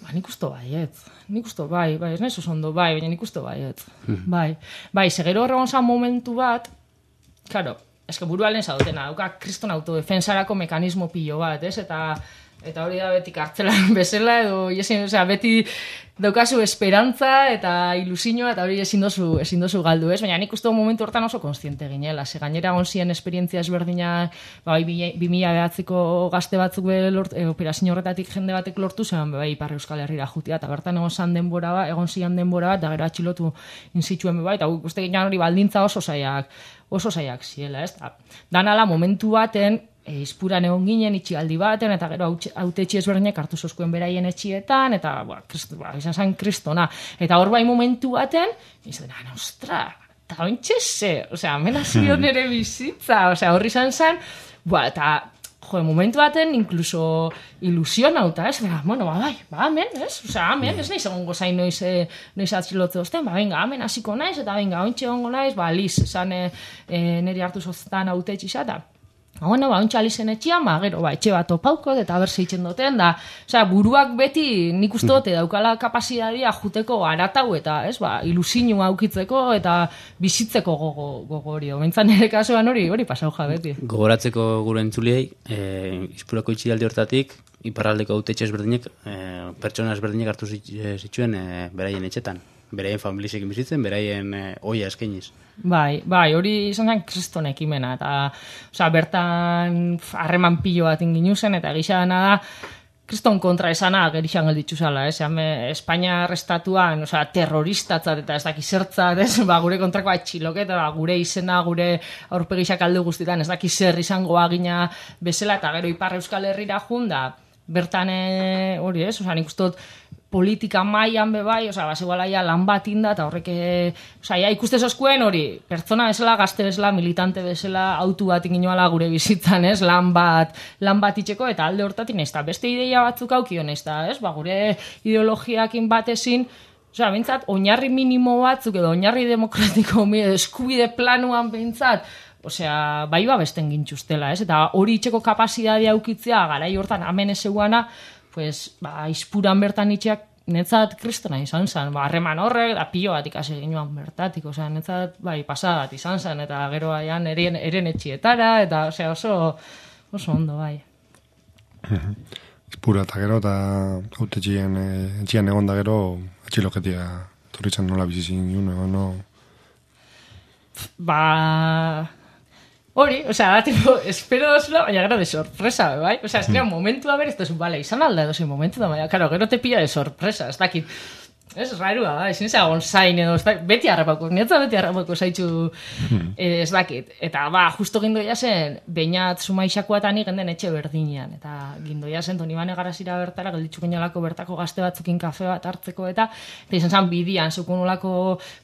Ba, nik usto baiet. Nik usto bai, bai, ez nahi ondo bai, baina nik usto baiet. Bai, bai, segero horregon zan momentu bat, claro, eske burualen zaudetena, dauka kriston autodefensarako mekanismo pilo bat, ez? Eta eta hori da beti kartzelan bezala, edo, yesin, osea, beti daukazu esperantza eta ilusioa, eta hori ezin dozu, ezin dozu galdu, ez? Baina nik uste momentu hortan oso konstiente ginela, ze gainera onzien esperientzia ezberdina, ba, bi mila behatziko gazte batzuk be lort, e, operazio horretatik jende batek lortu zen, bai, Ipar Euskal Herrira jutia, eta bertan egon zan denbora bat, egon zian denbora bat, da gero atxilotu inzituen bai, eta uste ginean hori baldintza oso zaiak, oso zaiak ziela, ez? Danala momentu baten, E, izpuran egon ginen itxialdi baten, eta gero hautetxe ezberdinak hartu zozkuen beraien etxietan, eta ba, krist, ba, izan zen kristona. Eta hor bai momentu baten, izan zen, ostra, eta ointxe ze, osea, amenazio nere bizitza, osea, horri izan zen, ba, eta, jo, momentu baten, inkluso ilusionauta, ez, bera, bueno, ba, bai, ba, amen, ez, osea, amen, ez nahi segongo zain noiz, e, noiz atxilotze osten, ba, venga, amen, hasiko naiz, eta venga, ointxe gongo naiz, ba, liz, esan e, e, neri hartu zoztan hautetxe izata. Ba, bueno, ba, ontsa alizen etxian, ba, gero, ba, etxe bat opauko, eta berse itxen duten, da, osea, buruak beti nik uste dute daukala kapasitatea juteko aratau, eta, ez, ba, ilusinua aukitzeko, eta bizitzeko gogo, gogo hori, omentzan nire kasuan hori, hori pasau beti. Gogoratzeko gure entzuliei, e, izpurako itxialdi hortatik, iparraldeko hautetxe ezberdinek, e, pertsona ezberdinek hartu zituen e, beraien etxetan. Beraien familizekin bizitzen, beraien e, oia eskainiz. Bai, bai, hori izan zen kriston ekimena, eta, osea, bertan harreman pilo bat inginu zen, eta gixana da, kriston kontra esana gerixan gelditzu zala, ez? Espainia arrestatuan, osea, terroristatzat eta ez daki zertzat, ez? Ba, gure kontrako atxiloketa, ba, gure izena, gure aurpegisak alde guztietan, ez daki zer izango agina bezala, eta gero Ipar Euskal Herrira junda, bertan hori, ez? Osea, nik uste dut, politika mailan bebai, osea, basegoala ja lan bat inda, eta horrek, osea, ja, ikuste zozkuen hori, pertsona bezala, gazte bezala, militante bezala, autu bat inginoala gure bizitzan, ez, lan bat, lan bat itxeko, eta alde hortatik naiz, eta beste ideia batzuk aukio naiz, ez, ba, gure ideologiakin batezin, osea, bintzat, oinarri minimo batzuk, edo oinarri demokratiko, eskubide planuan bintzat, osea, bai ba besten gintxustela, ez, eta hori itxeko kapazitatea aukitzea, garai hortan, amen ezeuana, pues, ba, izpuran bertan itxeak netzat kristona izan zen, ba, harreman horrek, da pilo bat ikasi ginuan bertatik, osea, netzat, bai, pasadat izan zen, eta gero aian eren, eren etxietara, eta, osea, oso, oso ondo, bai. Izpura eta gero, eta hautetxien etxian egon da gero, atxiloketia torritzen nola bizizin june, no? Ba... Hori, osea, da, tipo, espero dozula, baina gero de sorpresa, bai? Osea, ez mm. momentu da berez, ez bale, izan alda edo momentu da, baina, karo, gero te pilla de sorpresa, ez dakit. Ez, rairua da, ezin ezagon zain edo, ez da, beti harrapako, nietza beti harrapako zaitxu hmm. ez dakit. Eta, ba, justo gindoia zen, bainat sumaixakoa eta ni genden etxe berdinean. Eta gindoia zen, Donibane Garazira bertara, gelditxuk inolako bertako gazte batzukin kafe bat hartzeko, eta eta izan zen bidian, zukun olako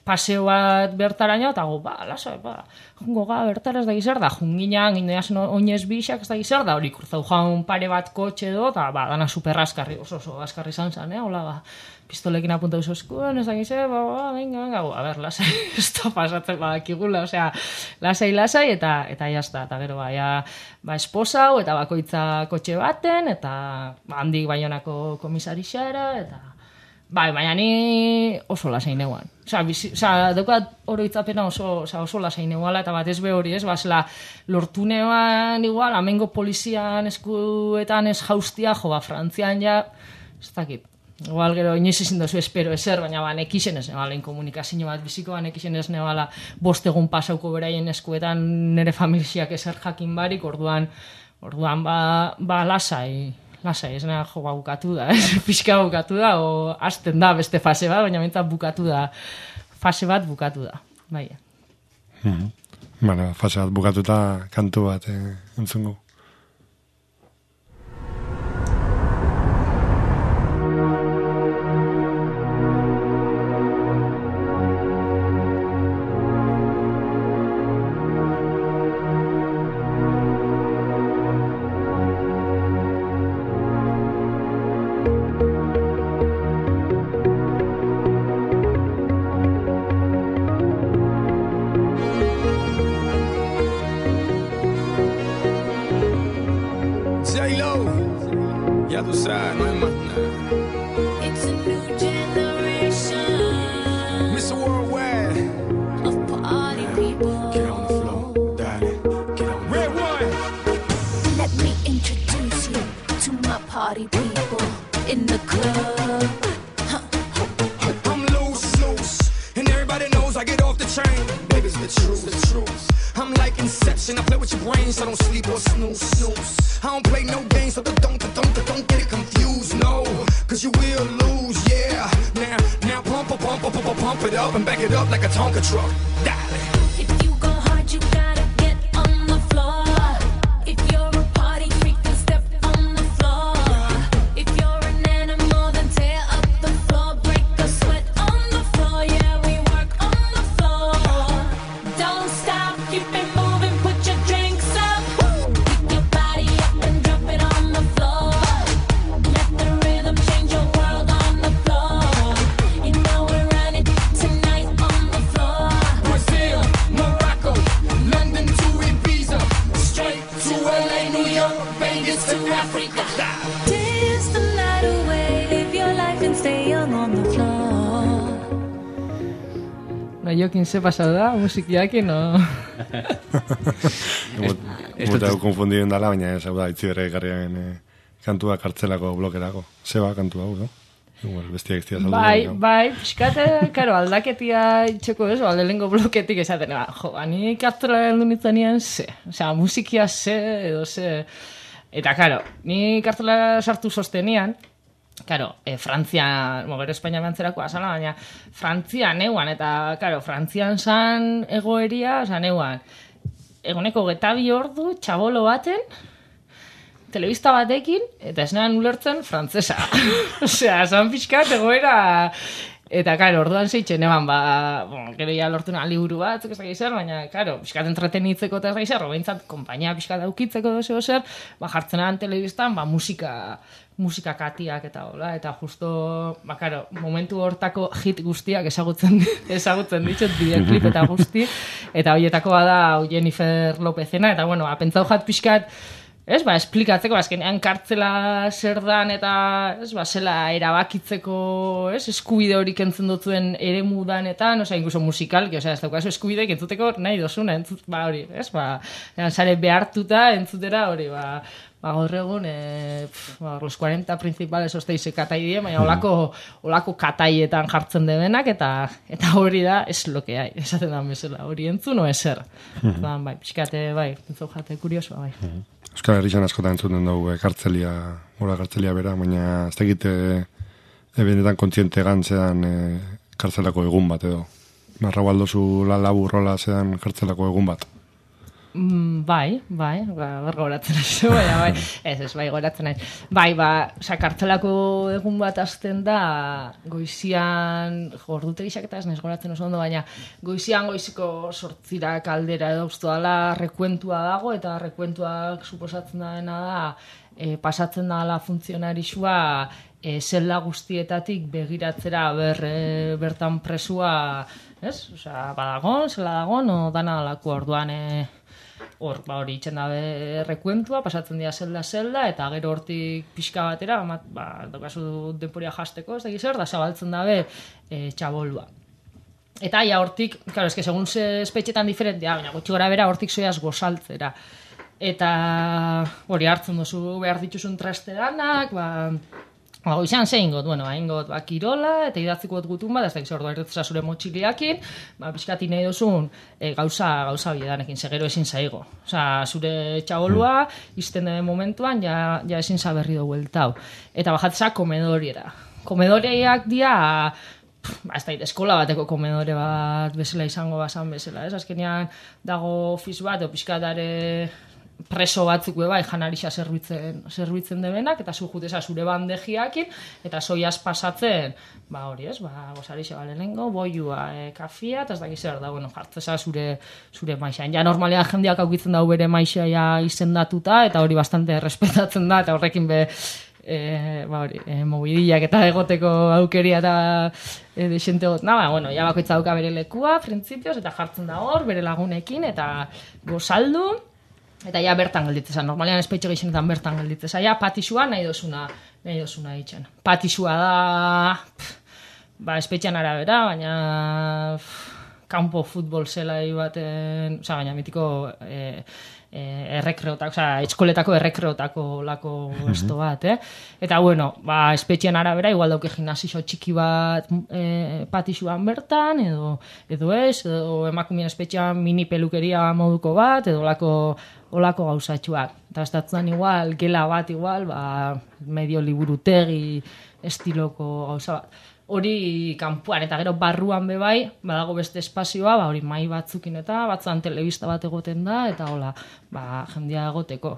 paseo bat bertaraino, eta go, ba, lasai, ba, jungo ga, bertara ez da gizar da, junginan, gindoia zen oinez bixak ez da gizar da, hori kurzau jaun pare bat kotxe edo, eta, ba, dana super askarri, oso, oso, askarri izan zen, eh, hola, ba, pistolekin apunta duzu eskuen, ez da gize, ba, ba, venga, venga, a ber, lasai, ez da pasatzen badakigula, osea, lasai, lasai, eta, eta jazta, eta gero, ba, ja, ba, esposau, eta bakoitza kotxe baten, eta, ba, handik Baionako komisarixara, eta, bai, baina ni oso lasai neuan. Osea, bizi, osea, daukat oroitzapena oso, osea, oso lasai neuala, eta bat ez be hori, ez, ba, zela, lortu neuan, igual, amengo polizian eskuetan ez jaustia, jo, ba, Frantzian ja, ez dakit, igual gero inoiz ezin dozu espero ezer, baina ba, nekixen ez nebala, inkomunikazio bat bizikoa, nekixen ez nebala bost egun pasauko beraien eskuetan nire familiak ezer jakin barik, orduan, orduan ba, ba lasai, lasai, ez nahi jo, ba, bukatu da, ez, pixka bukatu da, o hasten da beste fase bat, baina bintzat bukatu da, fase bat bukatu da, bai. Mm-hmm. Bara, fase bat bukatuta kantu bat eh, entzungu. Jokin se pasado da, musikiakin, no? Muta hau konfundiren dala, baina ez hau da, itzi bere garriaren eh, kantua kartzelako blokerako. Zeba kantua hau, no? Igual, bestiak iztia saldu. Bai, bai, piskate, karo, aldaketia itxeko ez, alde lengo bloketik esaten, ba, jo, ani kartzela heldu nintzanean ze, osea, musikia ze, edo ze, eta, karo, ni kartzela sartu sostenian, Karo, e, Frantzian, mo, gero Espainia behantzerako azala, baina Frantzian neuan, eta, karo, Frantzian zan egoeria, oza, neuan, egoneko getabi ordu, txabolo baten, telebista batekin, eta ez nean ulertzen frantzesa. Osea, zan pixkat egoera, eta, karo, orduan zeitzen, eban, ba, bon, gero ya lortu nahan liburu bat, ez da gizar, baina, karo, pixkat entretenitzeko eta ez da gizar, behintzat, kompainia pixkat daukitzeko doze zer, ba, jartzen nahan telebistan, ba, musika, musika katiak eta hola, eta justo, ba, karo, momentu hortako hit guztiak ezagutzen, ezagutzen ditut, bideoklip eta guzti, eta hoietako bada Jennifer Lopezena, eta, bueno, apentzau jat pixkat, ez, ba, esplikatzeko, azkenean kartzela zer dan, eta, ez, ba, zela erabakitzeko, ez, eskubide hori kentzen dutuen ere mudanetan, oza, incluso musikalki, oza, ez daukazu eskubide entzuteko nahi dozuna, entzut, ba, hori, ez, ba, zare behartuta entzutera hori, ba, ba, gaur egun, e, pf, ba, los cuarenta principales osteize katai die, baina olako, olako kataietan jartzen debenak, eta eta hori da, es lo que hay, esaten da bezala, hori entzun, o eser. Ba, bai, pixkate, bai, entzun jate kuriosoa, bai. Euskal Herrian askotan entzuten dugu e, kartzelia, gora kartzelia bera, baina ez dakit e, e, benetan kontziente gan zedan e, kartzelako egun bat edo. Narra baldozu la laburrola zedan kartzelako egun bat. Mm, bai, bai, ba, bar goratzen naiz, bai, bai, ez, ez, bai, goratzen naiz. Bai, ba, oza, kartzelako egun bat azten da, goizian, jo, ordutegixak eta ez naiz goratzen oso ondo, baina goizian goiziko sortzirak aldera edo ustu dala rekuentua dago, eta rekuentuak suposatzen dena da, e, pasatzen dala funtzionarixua e, zelda guztietatik begiratzera ber, e, bertan presua, ez? Osea, badagon, zela dagon, o dana dalako orduan, e, hor, ba, hori itxen dabe rekuentua, pasatzen dira zelda-zelda, eta gero hortik pixka batera, ba, daukazu denporia jasteko, ez da gizor, da zabaltzen dabe e, txabolua. Eta ja hortik, claro, eske segun ze espetxetan diferentia, baina gutxi gora bera hortik zoiaz gozaltzera. Eta hori hartzen duzu behar dituzun trasteranak, ba, ba goizan zein got, bueno, hain got, ba, kirola, eta idatziko gutun bat, ez da gizor, duaretzea zure motxiliakin, ba, pixkati nahi duzun e, gauza, gauza biedanekin, segero ezin zaigo. Osa, zure txabolua, izten den momentuan, ja, ja ezin zaberri dugu eltau. Eta bajatzea komedoriera. Komedoreak dia, ba, ez da, eskola bateko komedore bat bezala izango bazan bezala, ez? Azkenean dago ofiz bat, o pixkatare preso batzuk bai janarixa zerbitzen, zerbitzen debenak, eta zu juteza zure bandejiakin, eta soiaz pasatzen, ba hori ez, ba, gozarixa balenengo, boiua, e, kafia, eta ez dakiz zer da, bueno, jartzeza zure, zure maixan. Ja, normalean jendeak aukitzen dau bere maixa ja izendatuta, eta hori bastante respetatzen da, eta horrekin be, E, ba hori, e, mobidiak eta egoteko aukeria eta e, desente got, ba, bueno, ja bakoitza dauka bere lekua, printzipioz, eta jartzen da hor, bere lagunekin, eta gozaldu, eta ja bertan gelditzeza, normalean espetxe gehienetan bertan gelditzeza, ja patixua nahi dozuna, nahi dozuna ditzen. Patixua da, pff, ba, espetxean arabera, baina pff, kanpo futbol zelai baten, oza, baina mitiko e, e, errekreotako, oza, etskoletako errekreotako lako esto bat, eh? Eta, bueno, ba, espetxean arabera, igual dauke gimnasio txiki bat e, patixuan bertan, edo, edo ez, edo emakumien espetxean mini pelukeria moduko bat, edo lako olako gauzatxuak. Eta estatzen igual, gela bat igual, ba, medio liburutegi estiloko gauza bat. Hori kanpuan, eta gero barruan bebai, badago beste espazioa, ba, hori mai batzukin eta batzuan telebista bat egoten da, eta hola, ba, jendia egoteko.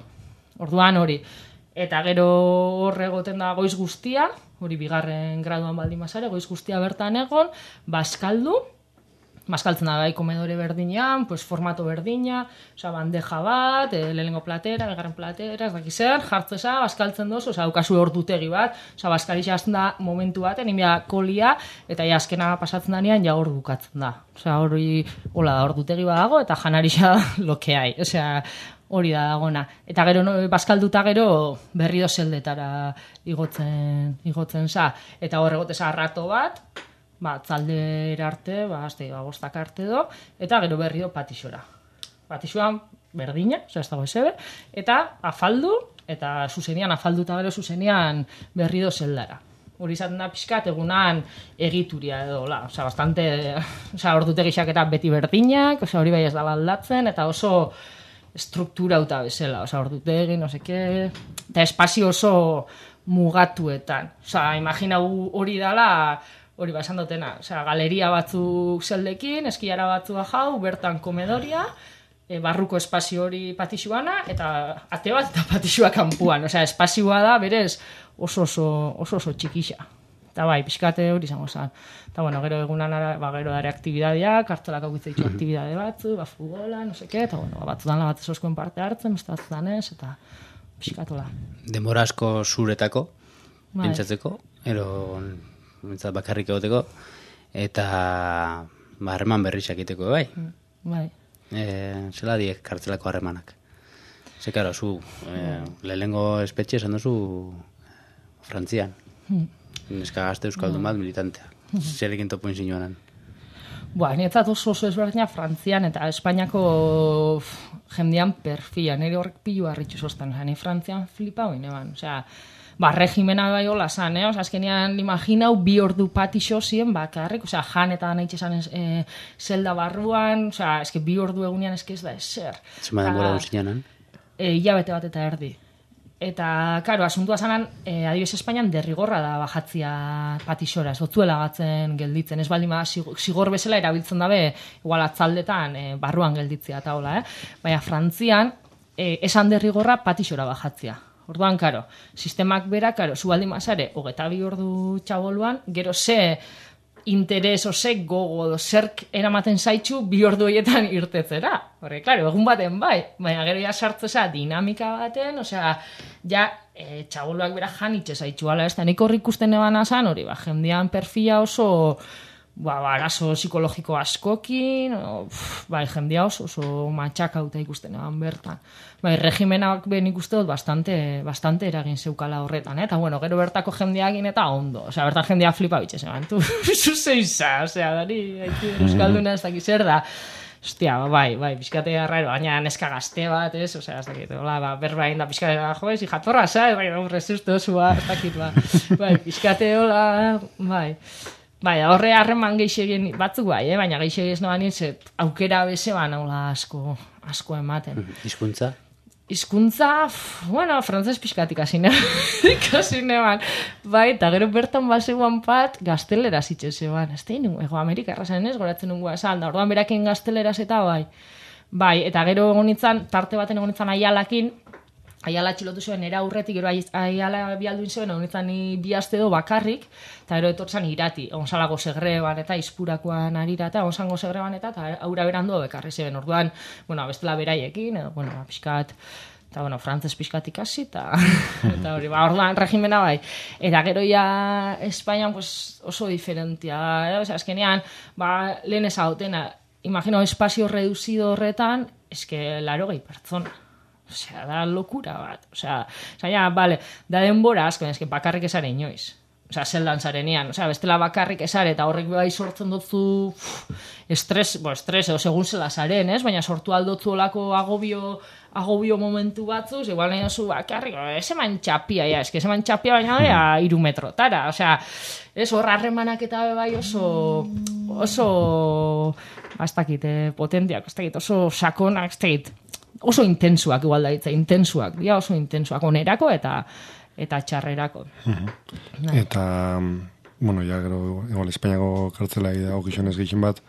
Orduan hori. Eta gero horre egoten da goiz guztia, hori bigarren graduan baldin bazare, goiz guztia bertan egon, baskaldu, maskaltzen da bai komedore berdinean, pues formato berdina, oza, bandeja bat, e, lehenengo platera, begarren platera, ez dakiz zer, jartzeza, baskaltzen dozu, oza, daukazu ordutegi bat, oza, baskarixa azten da momentu baten, inbia kolia, eta ja azkena pasatzen danean, ja hor bukatzen da. Oza, hori, hola da, ordutegi bat dago, eta janarixa lokeai, oza, hori da dagona. Eta gero, no, baskalduta gero, berri dozeldetara igotzen, igotzen za, eta hor egoteza rato bat, ba, tzaldera arte, ba, azte, ba, bostak arte do, eta gero berri do patixora. Patixoan berdina, oza, ez dago esebe, eta afaldu, eta zuzenian, afalduta gero zuzenian berri do zeldara. Hori izaten da pixkat egunan egituria edo, la, oza, bastante, oza, ordutegixak eta beti berdinak, oza, hori bai ez dala aldatzen, eta oso strukturauta bezala, oza, ordutegi, no seke, eta espazio oso mugatuetan. Oza, imagina hori dala, hori ba, esan dutena, osea, galeria batzuk zeldekin, eskiara batzua jau, bertan komedoria, e, barruko espazio hori patixuana, eta ate bat eta patixua kanpuan. Osea, espazioa da, berez, oso oso, oso, oso txikixa. Eta bai, pixkate hori izango zen. Eta bueno, gero egunan, ba, gero dare aktibidadeak, kartzelak aukitza ditu aktibidade batzu, ba, futbola, no seke, eta bueno, batzutan bat ezoskoen parte hartzen, beste batzutan ez, eta pixkatola. Denbora asko zuretako, bai, pentsatzeko, ero mintzat bakarrik egoteko, eta ba, harreman berrizak egiteko, bai. Bai. E, zela diek kartzelako harremanak. Ze, karo, zu, e, lehenengo espetxe esan duzu Frantzian. Neska gazte euskaldun bat militantea. Zerekin topoin zinuanan. Ba, nietzat oso oso ezberdina Frantzian eta Espainiako jendean perfila. Nire horrek pilu harritxu zoztan. Ni Frantzian flipa hoin eban. Osea, ba, regimena bai hola zan, eh? Osa, azkenean imaginau bi ordu patixo ziren bakarrik, osea, jan eta nahi txesan e, zelda barruan, osea, eske bi ordu egunean eske ez da ezer. Zema denbora dut zinanan? E, hilabete bat eta erdi. Eta, karo, asuntua zanan, e, adibidez Espainian derrigorra da bajatzia patixora, ez otzuela gatzen gelditzen, ez baldin ba, zigor bezala erabiltzen dabe, igual atzaldetan, e, barruan gelditzea eta hola, eh? Baina Frantzian, e, esan derrigorra patixora bajatzia. Orduan, karo, sistemak bera, karo, zu baldin bazare, hogeta bi ordu txaboluan, gero ze interes ose gogo zerk eramaten zaitxu bi ordu horietan irtetzera. Horre, klaro, egun baten bai, baina gero ja sartzeza dinamika baten, osea, ja, e, txaboluak bera janitxe zaitxu, ala ez da, nik horrik ikusten eban azan, hori, ba, jendean perfila oso, ba, arazo psikologiko askokin, o, pff, bai, jendea oso, oso matxakauta ikusten eban bertan. Bai, regimenak ben ikuste dut bastante, bastante eragin zeukala horretan, eh? Eta bueno, gero bertako jendeakin eta ondo. Osea, bertan jendea flipa bitxe zeban. Tu, zuzeiza, osea, dari, haitu euskalduna ez dakiz zer da. Ostia, bai, bai, pizkatea raro, baina neska gazte bat, ez? Osea, ez dakit, hola, ba, berbain da pizkatea, jo, ez, jatorra, sa, bai, resusto zua, ez dakit, ba. Bai, pizkate, hola, bai. Bai, horre harreman geixegin batzuk bai, eh? Baina geixegi ez noan nintzen, aukera beze ban, hola, asko, asko ematen. Hizkuntza? Hizkuntza, bueno, frantzes pixkatik ikasi neban. Bai, eta gero bertan bazegoan bat, gaztelera zitzen zeban. Ez tein, ego Amerika errazen ez, goratzen nungoa esan, da orduan berakin gazteleraz eta bai. Bai, eta gero egonitzan, tarte baten egonitzan aialakin, aiala txilotu zuen, era aurretik, gero aiala bialduin zuen, egonitzan bi aste do bakarrik, eta gero etortzan irati, egon salago segreban eta izpurakoan arira, eta egon zango segreban eta, eta aura berandu bekarri zeben. Orduan, bueno, bestela beraiekin, edo, bueno, pixkat, eta, bueno, frantzes pixkat ikasi, eta, eta hori, ba, orduan, regimena bai. Eta gero ja, Espainian, pues, oso diferentia, eh? Osea, azkenean, ba, lehen ezautena, imagino, espazio reduzido horretan, eske, laro gehi pertsona. Osea, da lokura bat. Osea, osea, ja, vale, da denbora asko, eske bakarrik esare inoiz. Osea, zeldan zarenean. Osea, bestela bakarrik esare, eta horrek bai sortzen dutzu uf, estres, bo, estres, edo segun zela zaren, ez? Baina sortu aldotzu olako agobio, agobio momentu batzuz, igual nahi oso bakarrik, ez eman txapia, ja, eske eman txapia baina da, iru metrotara. Osea, ez horra harremanak eta bai oso, oso, ez dakit, eh, potentiak, ez dakit, oso sakonak, ez dakit, oso intensuak igual da hitza, intensuak, dia oso intensuak, onerako eta eta txarrerako. Uh-huh. Eta, bueno, ja, gero, igual, Espainiako kartzela dago gizonez gehien bat,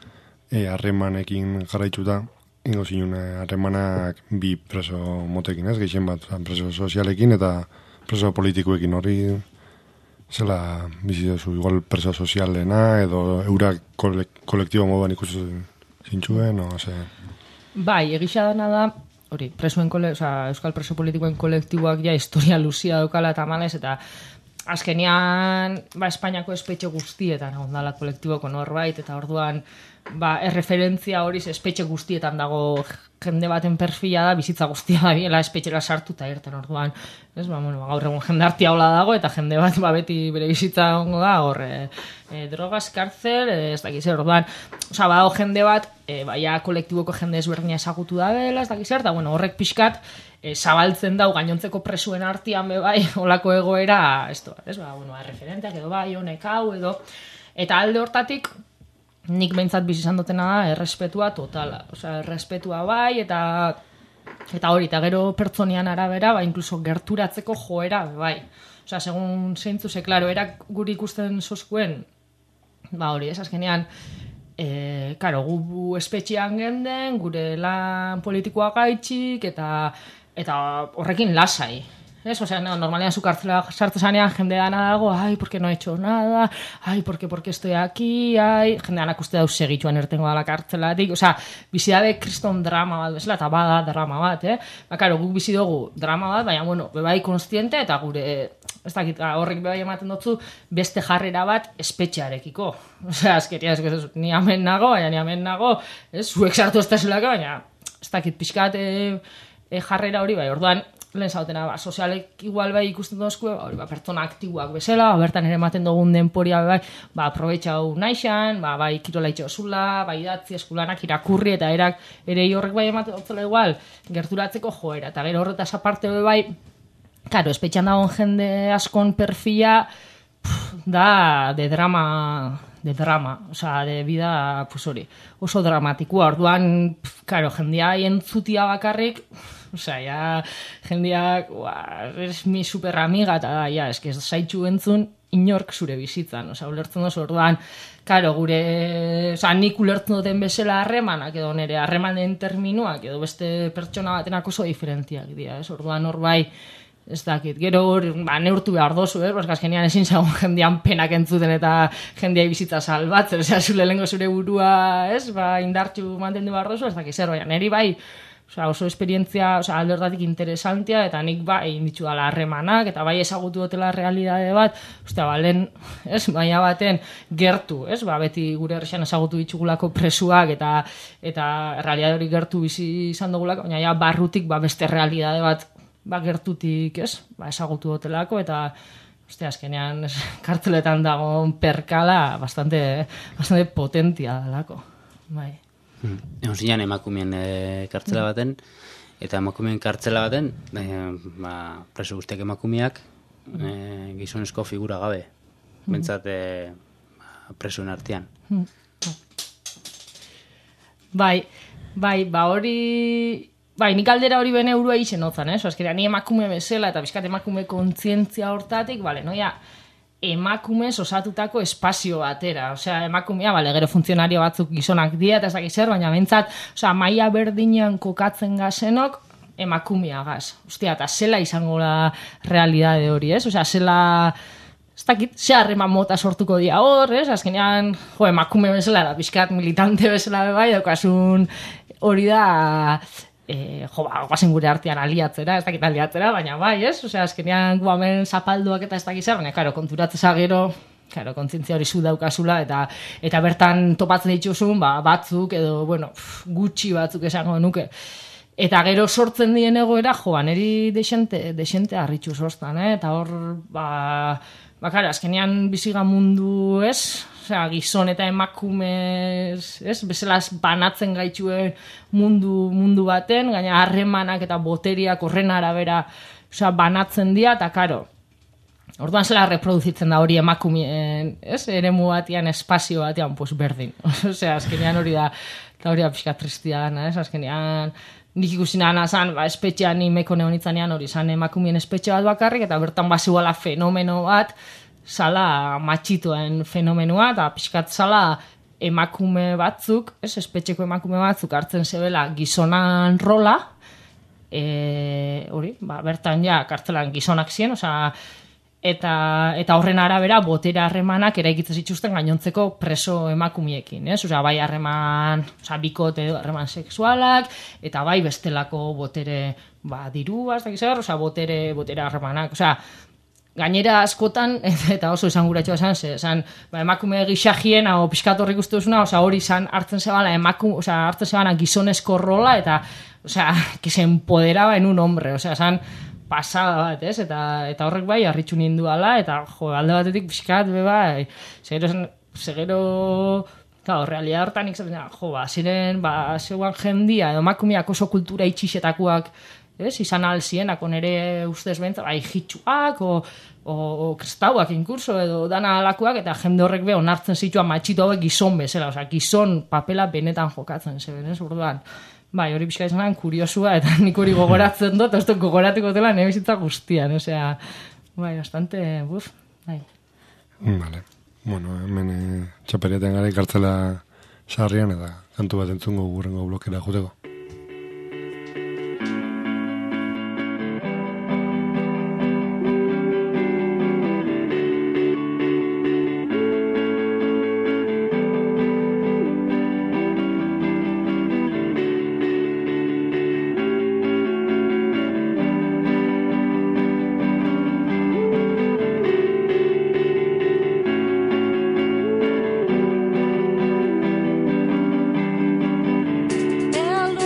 e, harremanekin jarraitzuta, ingo zinun harremanak bi preso motekin, ez, gehien bat, preso sozialekin eta preso politikoekin hori, zela bizi duzu, igual preso sozialena, edo eurak kolek, kolektibo moduan ikusi zintxuen, o, ze... Bai, egisa dana da, hori, presuen kole, oza, euskal preso politikoen kolektiboak ja historia luzia daukala eta malez, eta azkenian, ba, Espainiako espetxe guztietan ondala kolektiboko norbait, eta orduan, ba, erreferentzia hori espetxe guztietan dago jende baten perfila da, bizitza guztia da biela espetxera sartu eta irten orduan, ez, ba, bueno, gaur egun jende hartia hola dago, eta jende bat, ba, beti bere bizitza ongo da, hor, e, e, drogas, kartzel, e, ez dakiz, orduan, oza, ba, jende bat, e, baia kolektiboko jende ezberdina ezagutu da bela, ez dakiz, eta, bueno, horrek pixkat, e, zabaltzen dau gainontzeko presuen artean be bai, olako egoera, ez da, ez, ba, bueno, referenteak edo bai, honek hau, edo, eta alde hortatik, nik behintzat bizi izan dutena da, errespetua totala. Osea, errespetua bai, eta eta hori, eta gero pertsonian arabera, ba, inkluso gerturatzeko joera, bai. Osea, segun zeintzu, ze, klaro, erak guri ikusten zozkuen, ba, hori, ez azkenean, e, karo, gu espetxean genden, gure lan politikoa gaitxik, eta, eta horrekin lasai. Ez, osea, no, normalean zu kartzela sartu zanean jende dana dago, ai, porque no he hecho nada, ai, porque, porque estoy aquí, ai, jende danak uste dauz segituan ertengo dala kartzelatik, osea, bizi dabe kriston drama bat, bezala, eta bada drama bat, eh? Ba, karo, guk bizi dugu drama bat, baina, bueno, bebai konstiente, eta gure, ez dakit, horrek bebai ematen dutzu, beste jarrera bat espetxearekiko. Osea, azkeria, ez, ez, ni amen nago, baina ni amen nago, ez, zuek sartu ez da zelaka, baina, ez dakit, pixkat e, e, jarrera hori, bai, orduan, lehen zautena, ba, sozialek igual bai ikusten dozkue, ba, ba, pertsona aktiboak bezala, ba, bertan ere ematen dugun denporia bai, ba, aprobetxau naixan, ba, bai, kirola itxosula, bai, idatzi eskulanak irakurri, eta erak ere horrek bai ematen dutzela igual, gerturatzeko joera, eta gero horretaz aparte bai, karo, espetxan dagoen jende askon perfila, pff, da, de drama, de drama, osea, de vida, pues hori, oso dramatikoa, orduan, pff, karo, jendea entzutia bakarrik, osea, ja, jendeak, ua, es mi super amiga, eta da, ja, eske zaitxu entzun, inork zure bizitzan, osea, ulertzen dozu orduan, karo, gure, osea, nik ulertzen duten bezala harremanak, edo nire harremanen terminuak, edo beste pertsona batenak oso diferentiak dira, ez, orduan hor bai, ez dakit, gero hor, ba, neurtu behar dozu, eh? Baska azkenean ezin zagun jendean penak entzuten eta jendea bizitza salbatzen, osea, zure lehenko zure burua, ez, ba, indartxu mantendu behar dozu, ez dakit zer, baina, niri bai, osea, oso esperientzia, osea, alde hortatik interesantia, eta nik bai, inditu dala harremanak, eta bai ezagutu dutela realidade bat, ostia, ba, lehen, ez, baina baten gertu, ez, ba, beti gure herrian ezagutu ditugulako presuak, eta eta realidade hori gertu bizi izan dugulako, baina ja, barrutik, ba, beste realidade bat, ba, gertutik, ez, ba, ezagutu dutelako, eta, uste, azkenean, ez, kartzeletan dagoen perkala bastante, bastante potentia dalako, bai. Hmm. Egon zinean emakumeen e, kartzela baten, eta emakumeen kartzela baten, e, ba, preso guztiak emakumeak, e, gizonezko figura gabe, bentsat e, ba, presoen artean. Bai, bai, ba hori... Bai, nik aldera hori bene urua izen otzan, eh? Azkenean, ni emakume bezala eta bizkat emakume kontzientzia hortatik, bale, noia, emakumez osatutako espazio batera. Osea, emakumea, bale, gero funtzionario batzuk gizonak dira, eta ez dakiz zer, baina bentsat, osea, maila berdinean kokatzen gazenok, emakumea gaz. Ostia, eta zela izango la realidade hori, ez? Osea, zela... Ez dakit, ze harreman mota sortuko dira hor, ez? Azkenean, jo, emakume bezala, da, bizkat militante bezala bai, daukasun hori da... E, jo, ba, guazen gure artean aliatzera, ez dakit aliatzera, baina bai, ez? Osea, azkenean guamen zapalduak eta ez dakit zer, baina, karo, konturatzea gero, karo, kontzientzia hori zu daukazula, eta eta bertan topatzen dituzun, ba, batzuk, edo, bueno, pff, gutxi batzuk esango nuke. Eta gero sortzen dien egoera, jo, ba, neri desente, desente harritxu sortzen, eh? Eta hor, ba, ba, karo, azkenean biziga mundu, ez? Osea, gizon eta emakume, ez? Bezalaz banatzen gaituen mundu, mundu baten, gaina harremanak eta boteriak horren arabera, osea, banatzen dira, eta karo, orduan zela reproduzitzen da hori emakumeen, ez? Eremu batean, espazio batean, pues berdin. Osea, azkenean hori da, eta hori da pixka tristia dana, ez? Azkenean, nik ikusi nana zan, ba, espetxean ni meko neonitzanean hori zan emakumeen espetxe bat bakarrik, eta bertan baziuala fenomeno bat, zala matxitoen fenomenoa, eta pixkat zala emakume batzuk, ez, espetxeko emakume batzuk hartzen zebela gizonan rola, e, hori, ba, bertan ja, kartzelan gizonak ziren, osea, eta, eta horren arabera botera harremanak eraikitzen zituzten gainontzeko preso emakumiekin, ez? Osea, bai harreman, osea, bikote edo harreman sexualak, eta bai bestelako botere, ba, dirua, ez dakiz zer, osea, botere, botere harremanak, osea, gainera askotan, eta oso izan guratxoa esan, ze, esan, ba, emakume gixagien, hau pixkat horrik uste duzuna, osea, hori izan hartzen zebala, emakume, osea, hartzen zebala gizonezko rola, eta, osea, que se empoderaba en un hombre, osea, esan, pasada bat, ez? Eta, eta horrek bai, harritxu ninduala, eta, jo, alde batetik pixkat, be bai, segero, segero, claro, realidad hortan ikzaten, jo, ba, ziren, ba, zeuan jendia, edo emakumeak oso kultura itxixetakoak, ez, izan alzienak, onere ustez bentza, bai, hitxuak, o, o, o kristauak inkurso, edo dana alakoak, eta jende horrek be, onartzen zituan matxito hauek gizon bezala, osea, gizon papela benetan jokatzen zeben, ez, urduan. Bai, hori pixka izanan kuriosua, eta nik hori gogoratzen dut, ez dut gogoratuko dela nire bizitza guztian, osea, bai, bastante, buf, bai. Vale, bueno, hemen eh, txaperiaten gara ikartzela sarrian, eta kantu bat entzungo gurrengo blokera juteko. El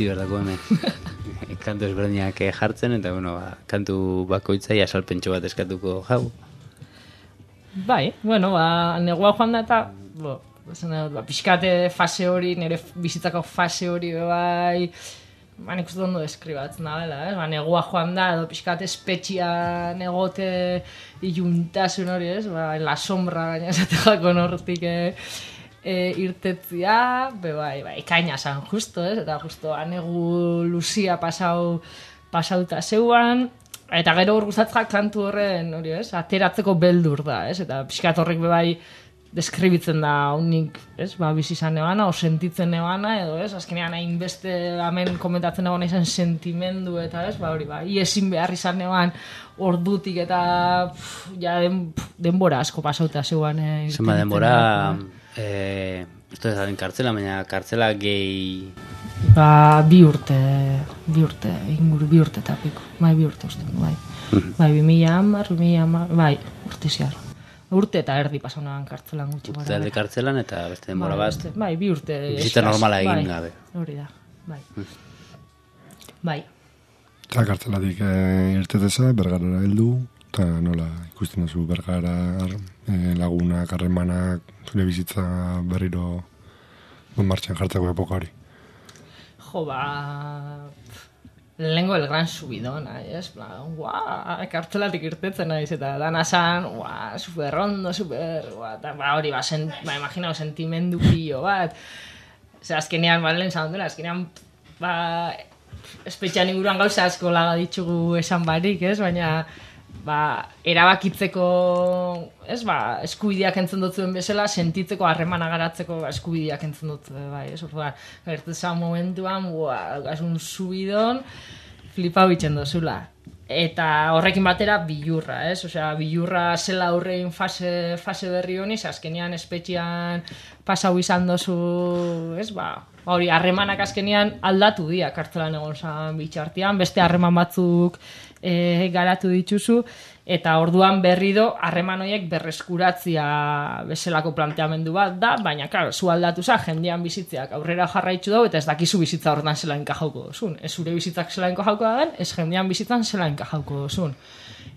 utzi berdako hemen. Kantu ezberdinak jartzen, eta bueno, ba, kantu bakoitzai asalpentxo bat eskatuko jau. Bai, bueno, ba, negua joan da eta, bo, ba, pixkate fase hori, nire bizitzako fase hori bai, ba, nik uste ondo deskribatzen da, bela, eh? Ba, negua joan da, edo pixkate espetxian egote iluntasun hori, ez? Ba, la sombra gaina esateko nortik, eh? E, irtetzia, be bai, bai, ikaina zan, justo, ez? Eta justo, anegu luzia pasau, pasauta zeuan, eta gero urguzatzak kantu horren, hori, ez? Ateratzeko beldur da, ez? Eta pixkat horrek be bai deskribitzen da unik, ez? Ba, bizi izan nebana, o sentitzen nebana, edo, ez? Azkenean hainbeste hemen komentatzen nebana izan sentimendu, eta, ez? Ba, hori, ba, iezin behar izan neban ordutik, eta pff, ja, den, denbora asko pasauta zeuan. Eh, Zenba denbora... Eh, esto ez den kartzela, baina kartzela gehi... Ba, bi urte, bi urte, inguru, bi urte eta piko. Bai, bi urte uste, bai. Bai, bi mila hamar, bi mila hamar, bai, urte ziar. Urte eta erdi pasaunagan kartzelan gutxi. Urte alde kartzelan eta beste denbora bai, bat. Bai, bi urte. Bizita normala egin bai, gabe. Hori da, bai. Bai. Eta kartzelatik eh, irteteza, bergarara heldu, eta nola ikusten duzu bergara eh, lagunak, harremanak, zure bizitza berriro bon martxan jartzeko epoka hori. Jo, ba... Lehengo el gran subidon, ez? Guau, kartzelatik irtetzen naiz, eta dana zan, guau, super ondo, super, guau, eta ba, hori, ba, sen, ba, imaginau, sentimendu pillo bat. Zer, azkenean, ba, lehen zan duela, azkenean, ba, espetxean inguruan gauza asko laga ditugu esan barik, ez? Baina, ba, erabakitzeko, ez, ba, eskubideak entzun dutzuen bezala, sentitzeko harremana garatzeko eskubideak entzun dutzu, bai, ez, orduan, gertezan momentuan, ua, gasun subidon, flipau itxen dozula. Eta horrekin batera bilurra, ez, osea, bilurra zela aurrein fase, fase berri honi, azkenean espetxean pasau izan dozu, ez, ba, hori, harremanak azkenean aldatu dia, kartzelan egon zan bitxartian, beste harreman batzuk e, garatu dituzu, eta orduan berri do harreman horiek berreskuratzia bezalako planteamendu bat da, baina, claro, zu aldatu za, jendean bizitzeak aurrera jarraitzu dau, eta ez dakizu bizitza horretan zela enkajauko dozun. Ez zure bizitzak zela enkajauko da den, ez jendean bizitzan zela enkajauko dozun.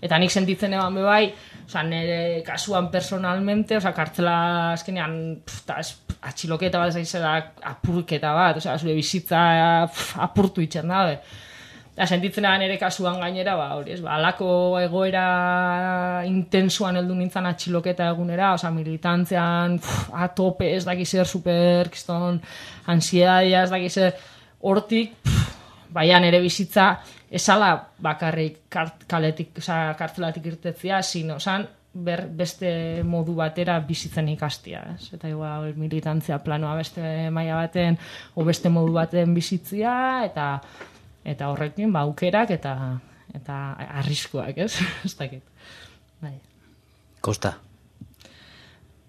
Eta nik sentitzen eban bebai, oza, nire kasuan personalmente, oza, kartzela azkenean, pff, atxiloketa bat zaizela apurketa bat, oza, zure bizitza pff, apurtu itxen dabe. Eta sentitzen eban nire kasuan gainera, ba, hori ez, ba, alako egoera intensuan heldu nintzen atxiloketa egunera, oza, militantzean, pff, atope ez dakizer, super, kiston, ansiedadia ez dakizer, hortik, pff, baina nire bizitza, esala bakarrik kart, kaletik, oza, kartzelatik irtetzia, sino, zan, ber, beste modu batera bizitzen ikastia, ez? Eta igual militantzia planoa beste maila baten, o beste modu baten bizitzia, eta eta horrekin, ba, aukerak eta eta arriskuak, ez? Ez dakit. Bai. Kosta.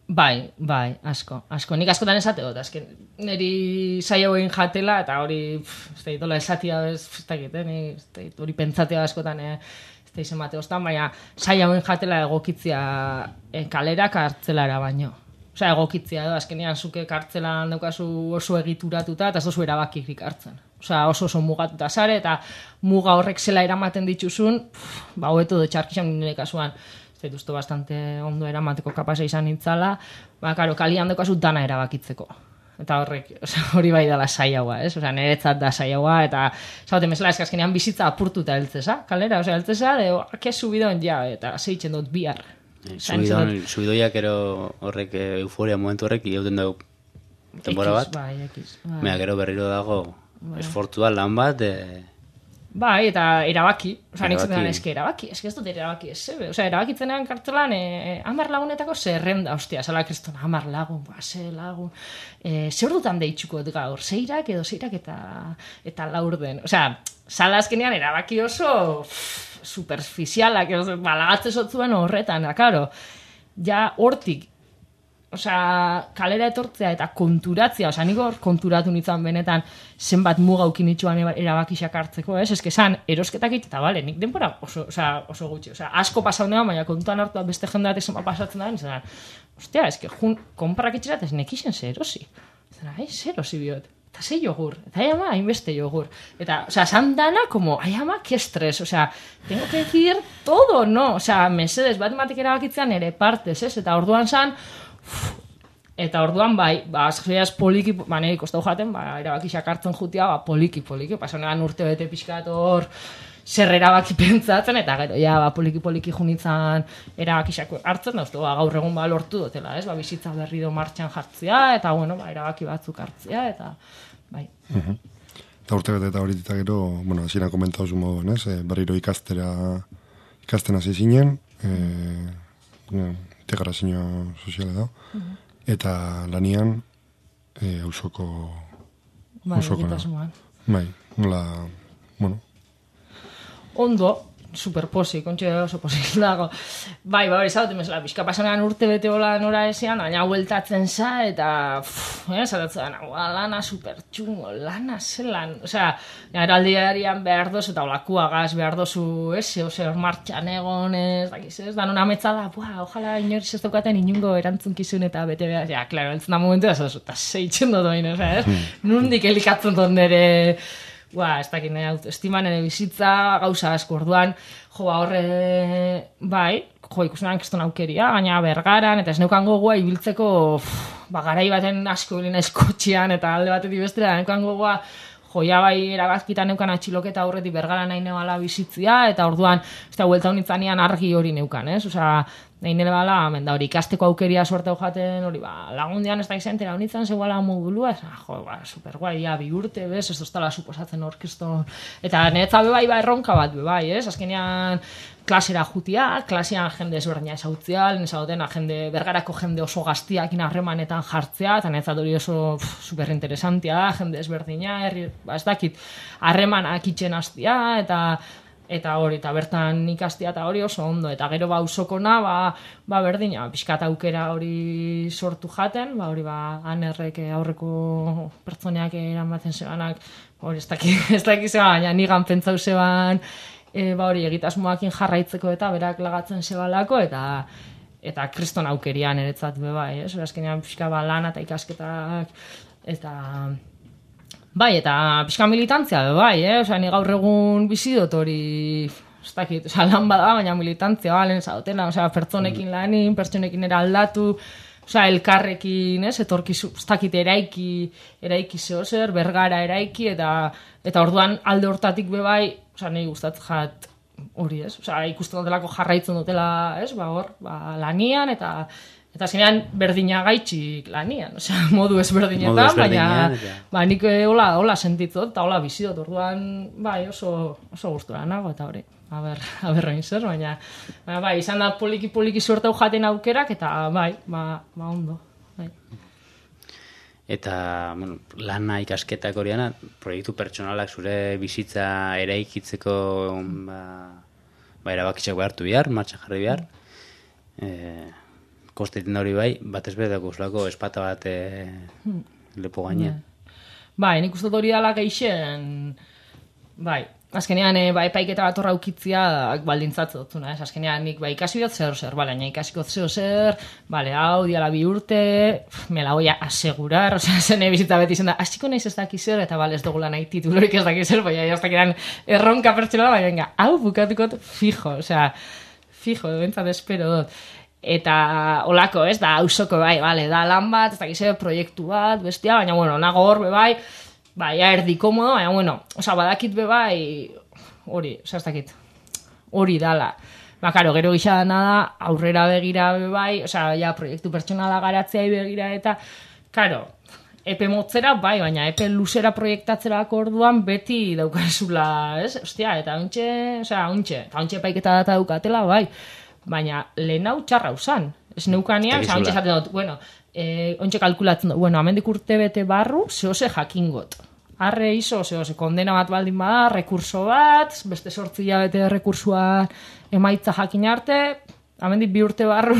Bai, bai, asko, asko. Nik askotan esate dut, azken, niri saio egin jatela, eta hori, ez da, itola esatia, ez da, eh, hori pentsatea askotan, eh, ez da, izen bate ostan, baina saio egin jatela egokitzia eh, kalera kartzelara baino. Osea, egokitzia edo, azkenean zuke kartzelan daukazu oso egituratuta, eta ez dozu erabakikrik hartzen. Osea, oso oso mugatuta zare, eta muga horrek zela eramaten dituzun, pff, ba, hobeto do txarkixan nire kasuan, ez dut bastante ondo eramateko kapasa izan nintzala, ba, karo, kalian daukazu dana erabakitzeko. Eta horrek, oza, hori bai dela saiagoa, ez? Osea, niretzat da saiagoa, eta zaten mesela eskazkenean bizitza apurtuta heltzeza, kalera, osea, heltzeza, de, ke subidon, ja, eta zeitzen dut bihar. Subidon, subidoiak ero horrek, euforia momentu horrek, iauten dugu temporada bat. Bai, ekiz. Bai. Mea, gero berriro dago, bai. Esfortua lan bat, e... Bai, eta erabaki. Osa, nik zetan eske erabaki. Eske ez dut erabaki ez zebe. Osa, erabakitzenean kartelan, e, amar lagunetako zerrenda, ostia, zela kriston, amar lagun, ba, ze lagun. E, zer dutan deitxuko gaur, zeirak edo zeirak eta, eta laur den. Osa, zala azkenean erabaki oso pff, superficialak, balagatze zotzuen horretan, da, karo. Ja, hortik, osea, kalera etortzea eta konturatzea, osea, niko konturatu nintzen benetan zenbat mugaukin itxuan erabakisak hartzeko, ez? Eske zan, erosketak it, eta bale, nik denbora oso, osea, oso gutxi, osea, asko pasau neban, baina kontuan hartu beste jendeat zenbat pasatzen da, nintzen, ostia, eske, jun, konparak itxerat ez nekixen zer erosi. Zena, eh, zer erosi biot. eta ze jogur, eta ai ama, hainbeste jogur. Eta, o sea, san dana, como, ai ama, que estres, o sea, tengo que decir todo, no? O sea, mesedes, bat ematek erabakitzean ere partez, ez? Eta orduan san, uf, eta orduan bai, ba, azkeaz poliki, ba, nire kostau jaten, ba, erabakixak hartzen jutia, ba, poliki, poliki, pasonean urte bete pixkat hor, zer erabaki pentsatzen, eta gero, ja, ba, poliki-poliki junitzen erabakixak hartzen, dauztu, ba, gaur egun ba, lortu dutela, ez? Ba, bizitza berri do martxan jartzea, eta, bueno, ba, erabaki batzuk hartzea, eta, bai. Uh-huh. Eta urte bete eta horitik gero, bueno, hasieran komentatu zu moduan, ez? E, berriro ikastera, ikasten hasi zinen, e, integrazio soziala da, uh-huh. Eta lanian, e, ausoko, bai, ausoko, bai, nola, bueno, ondo, superposi, kontxe oso posi dago. Bai, bai, zaudete mesela, bizka pasanean urte bete hola nora esean, aina hueltatzen za, eta, pff, eh, zaratzen, lana supertxungo, lana zelan, osea, eraldiarian behar dozu, eta olakuagaz behar dozu, ez, ose, hor martxan egon, ez, dakiz, ez, dan una metzada, buah, ojala inoriz ez daukaten inungo erantzunkizun eta bete behar, ja, klaro, eltzen da momentu, ez, eta zeitzen dut oin, ez, nundik elikatzen dut nire, Ba, ez dakit, nire autoestima, nire bizitza, gauza asko orduan, jo, horre, bai, jo, ikusenan keston aukeria, gaina bergaran, eta ez neukan gogoa ibiltzeko, ba, garai baten asko bilina eskotxean, eta alde batetik bestera, neukan gogoa, jo, ja bai, eragazkitan neukan atxiloketa aurretik bergara nahi nebala bizitzia, eta orduan, ez da, huelta honitzanean argi hori neukan, ez? Osea, nahi nebala, menda hori, ikasteko aukeria suerte jaten, hori, ba, lagundian ez da izentera honitzen, zegoela modulua, ez, jo, ba, superguai, ja, bi urte, bez, ez doztala suposatzen orkeston, eta niretza bebai, ba, erronka bat, bebai, ez? Azkenean, klasera jutia, klasean jende ezberdina ezautzea, lehen ezagoten, jende, bergarako jende oso gaztiakin harremanetan jartzea, eta niretzat hori oso pff, superinteresantia, jende ezberdina, herri, ba, ez dakit, harremanak itxen hastia, eta eta hori, eta bertan ikastia eta hori oso ondo, eta gero ba usokona, ba, ba berdina, pixkat aukera hori sortu jaten, ba hori ba anerrek aurreko pertsoneak eramaten zebanak, hori ez dakit, ez dakit zeban, baina nigan pentsau zeban, e, ba hori egitasmoakin jarraitzeko eta berak lagatzen zebalako, eta eta kriston aukerian eretzat bebai, ez? Azkenean pixka ba lana eta ikasketak, eta bai, eta pixka militantzia, bai, eh? Osea, ni gaur egun bizi dut hori, ez dakit, osea, lan bada, baina militantzia, balen, zautena, osea, pertsonekin lanin, pertsonekin eraldatu, osea, elkarrekin, ez, etorkizu, ez dakit, eraiki, eraiki zehozer, bergara eraiki, eta eta orduan alde hortatik bebai, osea, nahi gustatzen jat hori, ez, osea, ikusten dutelako jarraitzen dutela, ez, ba, hor, ba, lanian, eta Eta azkenean berdina gaitxik lanian, osea, modu ezberdinetan, baina ba, nik hola, hola sentitzot, eta hola bizidot, orduan, bai, oso, oso gustura nago, eta hori, a ber, a ber zer, baina, baina, bai, izan da poliki-poliki suertau jaten aukerak, eta bai, ba, ba ondo, bai. Eta, bueno, lana ikasketak horiana, proiektu pertsonalak zure bizitza eraikitzeko, ba, ba erabakitxak behartu bihar, martxan jarri bihar, eh, kosteiten hori bai, batez bedako uzlako espata bat e, hmm. lepo gainean. Bai, nik uste hori dala geixen, bai, azkenean e, bai, paiketa bat horra ukitzia baldintzatzen dutuna, ez? Azkenean nik bai, ikasi dut zer zer, bale, baina ikasiko zer zer, bale, hau, diala bi urte, me la voy a asegurar, osea, zene bizitza beti zen da, hasiko naiz ez daki zer, eta bale, ez dugula nahi titulorik ez daki zer, baina ez dakiran erronka pertsonala, baina venga, hau bukatukot fijo, osea, fijo, bentsat espero dut. Eta olako, ez, da, ausoko bai, bale, da lan bat, ez dakize, proiektu bat, bestia, baina, bueno, nago hor, bebai, bai, ja, erdi komodo, baina, bueno, oza, badakit bebai, hori, oza, ez dakit, hori dala. Ba, karo, gero gisa nada, aurrera begira bebai, oza, ja, proiektu pertsonala garatzea begira, eta, karo, epe motzera, bai, baina epe luzera proiektatzerako orduan beti daukazula, ez, ostia, eta untxe, oza, untxe, eta untxe paiketa data daukatela, bai, baina lehen hau txarra usan. Ez neukanian, oza, ontsa esaten dut, bueno, eh, ontsa kalkulatzen dut, bueno, amendik urte bete barru, zehose jakingot. Arre iso, zehose, kondena bat baldin bada, rekurso bat, beste sortzia bete rekursua emaitza jakin arte, amendik bi urte barru,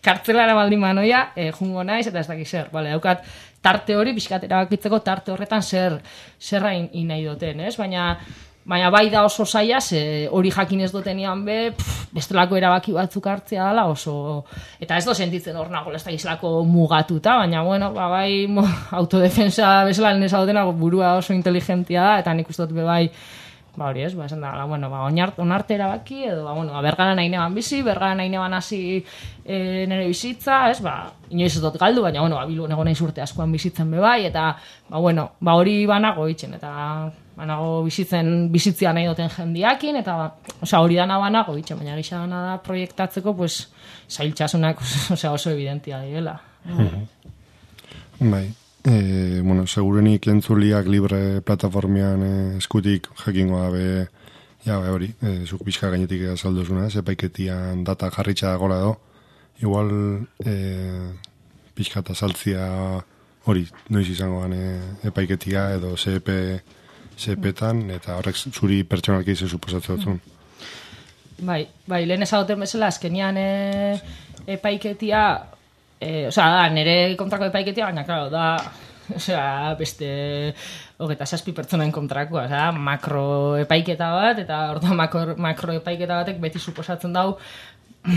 kartzelara baldin manoia, eh, jungo naiz, eta ez dakiz zer, bale, daukat, tarte hori, pixkat erabakitzeko tarte horretan zer, zerra in, in nahi duten, ez? Baina, Baina bai da oso zaila, ze hori jakin ez dutenian be, pff, bestelako erabaki batzuk hartzea dela oso... Eta ez do sentitzen hor nago, ez da gizlako mugatuta, baina bueno, ba, bai mo, autodefensa bezala nesa dutena burua oso inteligentia da, eta nik uste dut be bai, ba hori ez, ba esan da, bueno, ba, onarte erabaki, edo, ba, bueno, ba, bergara nahi neban bizi, bergara nahi neban hasi e, nire bizitza, ez, ba, inoiz ez dut galdu, baina, bueno, ba, Bilbon egon naiz urte askoan bizitzen be bai, eta, ba, bueno, ba, hori banago itxen, eta banago bizitzen, bizitzia nahi duten jendiakin, eta, ba, osea, hori dana banago itxen, baina gisa dana da proiektatzeko, pues, zailtxasunak, osea, oso evidentia direla. Bai. E, bueno, segurenik entzuliak libre plataformian e, eskutik jakingo dabe, ja, be hori, e, zuk pixka gainetik azalduzuna, epaiketian data jarritxa gola do, igual e, pixka eta saltzia hori, noiz izango gane epaiketia edo C E P, C E P-tan, eta horrek zuri pertsonalki ze suposatzen dutun. Bai, bai, lehen ezagoten bezala, azkenian e, epaiketia, Eh, o sea, da, nire kontrako epaiketia, baina, claro, da, o sea, beste hogeta zazpi pertsonen kontrakoa, o sea, makro epaiketa bat, eta orduan makro, makro epaiketa batek beti suposatzen dau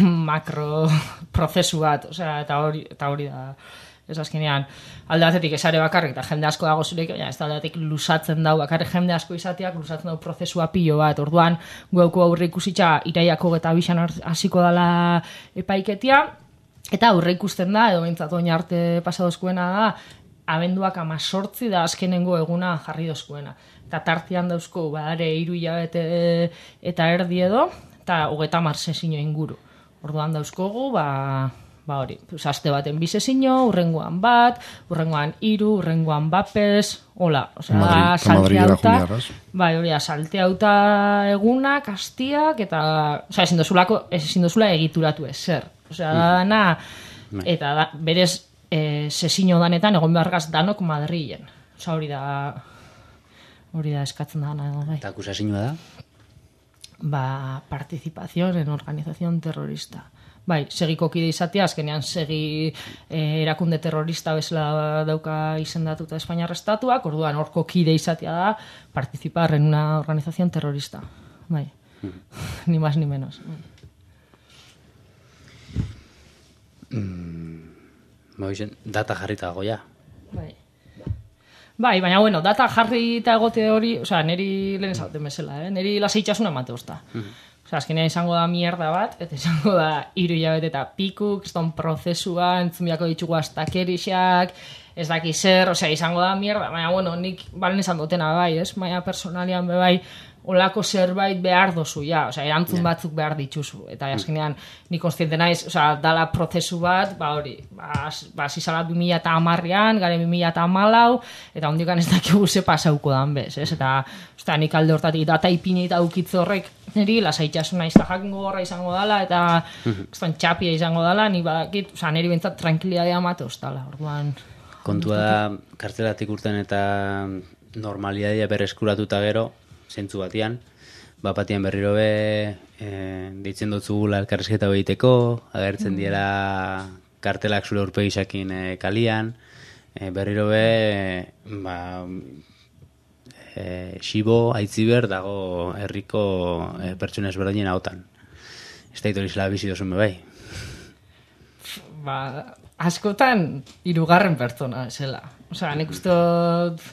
makro prozesu bat, o sea, eta hori, eta hori da, ez azkenean, alde batetik esare bakarrik, eta jende asko dago zurek, baina ez da alde batetik lusatzen dau, bakarrik jende asko izateak lusatzen dau prozesua pilo bat, orduan, guauko aurre ikusitza, iraiako eta bisan hasiko dala epaiketia, eta aurre ikusten da, edo bintzat oin arte pasadozkuena da, abenduak amazortzi da azkenengo eguna jarri dozkuena. Eta tartian dauzko, badare, hiru hilabete eta erdi edo, eta hogeta mar sesino inguru. Orduan dauzkogu, ba, ba hori, pues, aste baten bi sesino, urrengoan bat, urrengoan hiru, urrengoan bapes, hola, osea, salteauta, bai, hori, salteauta egunak, astiak, eta, osea, ezin dozulako, ezin dozula egituratu ezer. Osea, dana, eta da, berez e, sesino danetan egon behargaz danok Madrilen. Osea, hori da, hori da eskatzen dana. Bai. Eta akusazioa da? Ba, participación en organización terrorista. Bai, segiko kide izatea, azkenean segi e, erakunde terrorista bezala dauka izendatuta Espainiar Estatuak, orduan horko kide izatea da participar en una organización terrorista. Bai, mm. Ni más ni menos. Mm, ba, data jarrita dago ja. Bai. Bai, baina bueno, data jarrita egote hori, osea, neri lehen esaten bezala, eh? Neri lasaitasuna emate ozta. Mm. Osea, azkenean izango da mierda bat, eta izango da hiru hilabete eta pikuk, kriston prozesua, entzumiako ditugu astakerixak, ez daki zer, osea, izango da mierda, baina bueno, nik balen esan dutena bai, ez? Baina personalian be bai, olako zerbait behar dozu, ja, osea, erantzun yeah. batzuk behar dituzu, eta azkenean ni konstiente naiz, osea, dala prozesu bat, ba hori, ba, ba zizala bi mila eta hamarrean, gare bi mila eta hamalau, eta hondikan ez dakigu ze pasauko dan bez, ez? Eta, osea, nik alde hortatik data ipini eta ukitze horrek, niri, lasaitasuna izan jakingo gorra izango dala, eta mm-hmm. txapia izango dala, ni badakit, osea, niri bentsat tranquilidadea mate ostala, orduan. Kontua da, kartzelatik urten eta normalidadea berreskuratuta gero, zentzu batian, bapatian berriro be, e, deitzen dutzugula elkarrizketa behiteko, agertzen mm. diela kartelak zure urpegisakin e, kalian, e, berriro be, e, ba, e, xibo, aitziber, dago herriko e, pertsona ezberdinen hautan. Ez da itorizela bizi dozun be bai. Ba, askotan, hirugarren pertsona, esela. Osea, nik uste dut...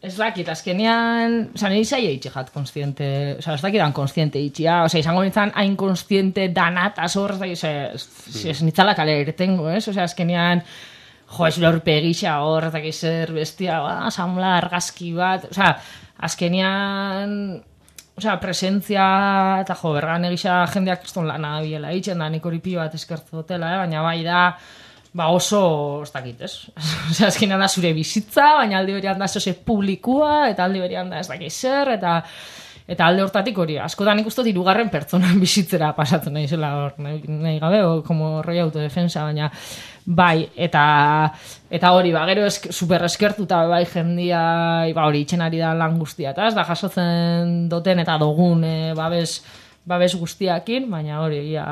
Ez dakit, azkenean, oza, nire izai eitxe jat konstiente, oza, ez dakidan konstiente itxia, oza, izango nintzen hain konstiente danat, azor, ez dakit, ez nitzala kale ertengo, ez, oza, azkenean, jo, ez lorpe egisa hor, ez dakit zer bestia, ba, asamla, argazki bat, oza, azkenean, oza, presentzia, eta jo, bergan egisa jendeak kriston lana biela itxen da, nik hori pio bat eskertu dutela, eh? Baina bai da, ba oso, ez dakit, ez? Osea, azkenean da zure bizitza, baina alde berian da zose publikua, eta alde berian da ez dakit zer, eta eta alde hortatik hori, askotan ikustot hirugarren pertsonan bizitzera pasatzen nahi zela hor, nahi, nahi gabe, o, como roi autodefensa, baina bai, eta eta hori, ba, gero esk, super eskertuta bai jendia, ba hori, itxen ari da lan guztia, eta ez da jasotzen duten eta dogun e, babes, babes guztiakin, baina hori, ja...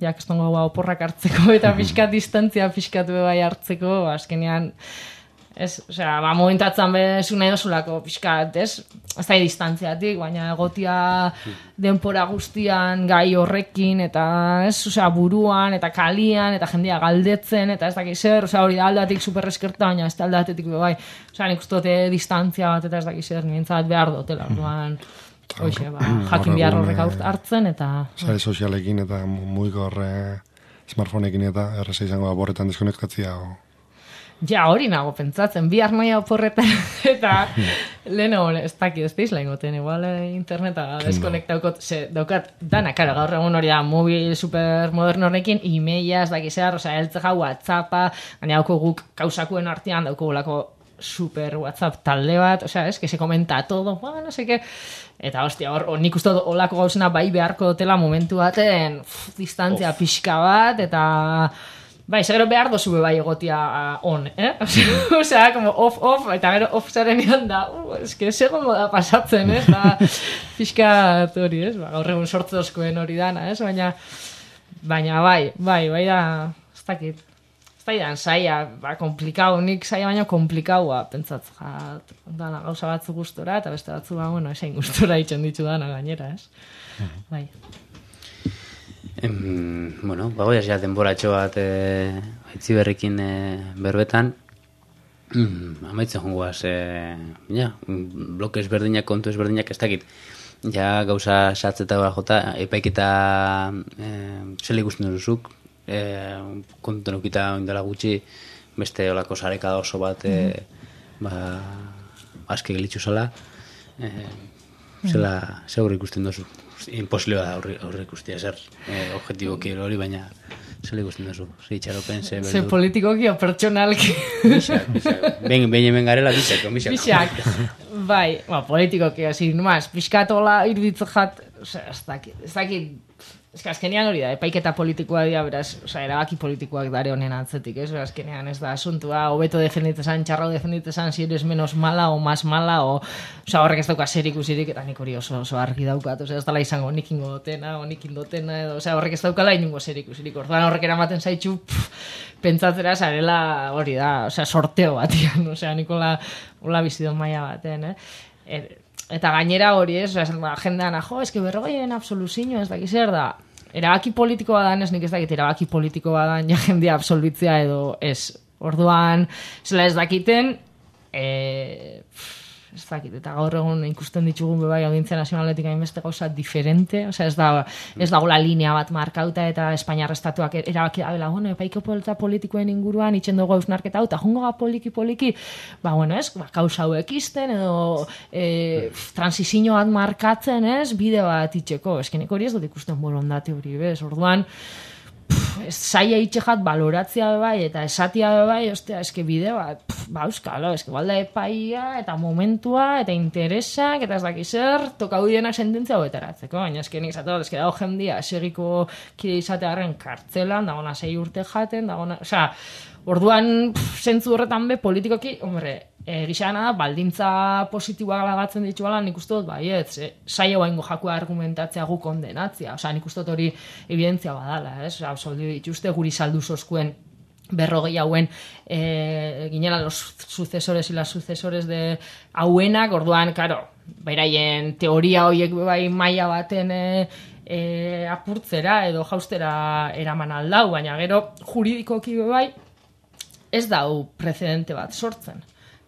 jak estongo oporrak hartzeko eta pixkat distantzia pixkatu bai hartzeko, azkenean Ez, osea, ba, momentatzen bezu nahi dozulako, pixkat, ez? Ez da distantziatik, baina egotia denpora guztian gai horrekin, eta ez, osea, buruan, eta kalian, eta jendia galdetzen, eta ez dakiz zer, osea, hori da aldatik superreskerta, baina ez da aldatetik bai. Osea, nik ustote distantzia bat, eta ez dakiz zer, nintzat behar dutela, orduan, hoxe, ba, jakin behar horrek hartzen, eta... Sare sozialekin, eta mugiko horre smartphoneekin, eta erreza izango borretan deskonektatzia, o... Ja, hori nago pentsatzen, bihar noia oporretan, eta lehen hori, ez dakit, ez peizla ingoten, igual interneta deskonektaukot, ze, daukat, dana, karo, gaur egun hori da, mobil supermoderno horrekin, e-maila, ez dakizar, oza, eltzeja, WhatsAppa, gaina dauko guk kausakuen artean, dauko gulako super WhatsApp talde bat, osea, es, que se comenta todo, ba, no sé qué, eta, hostia, hor, nik uste olako gauzena bai beharko dutela momentu baten, pff, distantzia pixka bat, eta... Bai, segero behar dozu bai egotia uh, on, eh? Osea, como off-off, eta gero off-zaren ean da, uh, eske segongo da pasatzen, eh? Eta pixka hori, ez? Ba, gaur egun sortzozkoen hori dana, ez? Baina, baina bai, bai, bai da, ez dakit. Ez da idan, saia, ba, komplikau, nik saia baina komplikaua, pentsatz, jat, dana gauza batzu gustora, eta beste batzu, ba, bueno, esain gustora itxen ditu dana gainera, ez? Bai. Em, bueno, bagoiaz ja denboratxo bat e, haitzi berrekin e, berbetan, mm, amaitzen jongoaz, e, ja, bloke ezberdinak, kontu ezberdinak ez dakit, ja gauza satzeta gara jota, epaiketa e, zela ikusten duzuk, e, kontu nukita oindala gutxi, beste olako sareka oso bat, e, ba, aske gelitzu zala, e, zela, zegoer ikusten duzu. Imposible da horre ikustia zer eh, objetiboki hori, baina zer ikusten duzu, zer itxaropen, zer beldur. Zer politikoki o pertsonalki. Bixak, bixak. Ben, ben hemen garela bixak, bixak. Bixak, bai, ba, politikoki, hasi, numaz, pixkatola iruditzu jat, ez dakit, ez dakit, ez que azkenean hori da, epaiketa politikoa dira, beraz, oza, erabaki politikoak dare honen atzetik, ez? Azkenean ez da asuntua, hobeto defenditezan, txarrau defenditezan, si eres menos mala o más mala, o, oza, horrek ez dauka zer ikusirik, eta nik hori oso, oso argi daukat, oza, ez dala izango nik ingo dotena, o nik indotena, edo, oza, horrek ez daukala inungo zer ikusirik, orduan horrek eramaten zaitxu, pff, pentsatzera zarela hori da, oza, sorteo batian, oza, nik hola, hola bizidon maila baten, eh? Er, Eta gainera hori ez, agendan, jo, eske berrogeien absoluzio ez dakiz zer da. Erabaki politiko badan, ez nik ez dakit, erabaki politiko badan ja jendea absolutzea edo ez. Orduan, zela ez dakiten, e, ez dakit, eta gaur egun ikusten ditugun bebai Audientzia Nazionaletik hainbeste gauza diferente, osea ez da ez dagoela linea bat markauta eta Espainiar estatuak erabaki dabela, bueno, epaiko polita politikoen inguruan itxen dugu hausnarketa hau, eta jungo ga poliki-poliki, ba, bueno, ez, ba, kausa hauek izten, edo e, transizio bat markatzen, ez, bide bat itxeko, eskenik hori ez dut ikusten borondate hori, bez, orduan, zaila itxejat baloratzia bai, eta esatia bai, ostia, eske bide bat, pff, ba, euskalo, eske balda epaia, eta momentua, eta interesak, eta ez dakiz zer, tokau dienak sententzia hobetaratzeko, baina eske nik zato, eske dago jendia, segiko kide izatearen kartzelan, dagona sei urte jaten, dagona, osea, orduan, pff, zentzu horretan be, politikoki, hombre, e, gixana da, baldintza positiboak lagatzen dituela, nik uste dut, baiet, e, saio baingo jakua argumentatzea gu kondenatzea, osea, nik uste dut hori evidentzia badala, ez? Osea, absoldi dituzte guri saldu zozkuen berrogei hauen e, ginela los sucesores y las sucesores de hauenak, orduan, karo, beraien teoria horiek bai maila baten e, e, apurtzera edo jaustera eraman aldau, baina gero juridikoki bai ez dau precedente bat sortzen.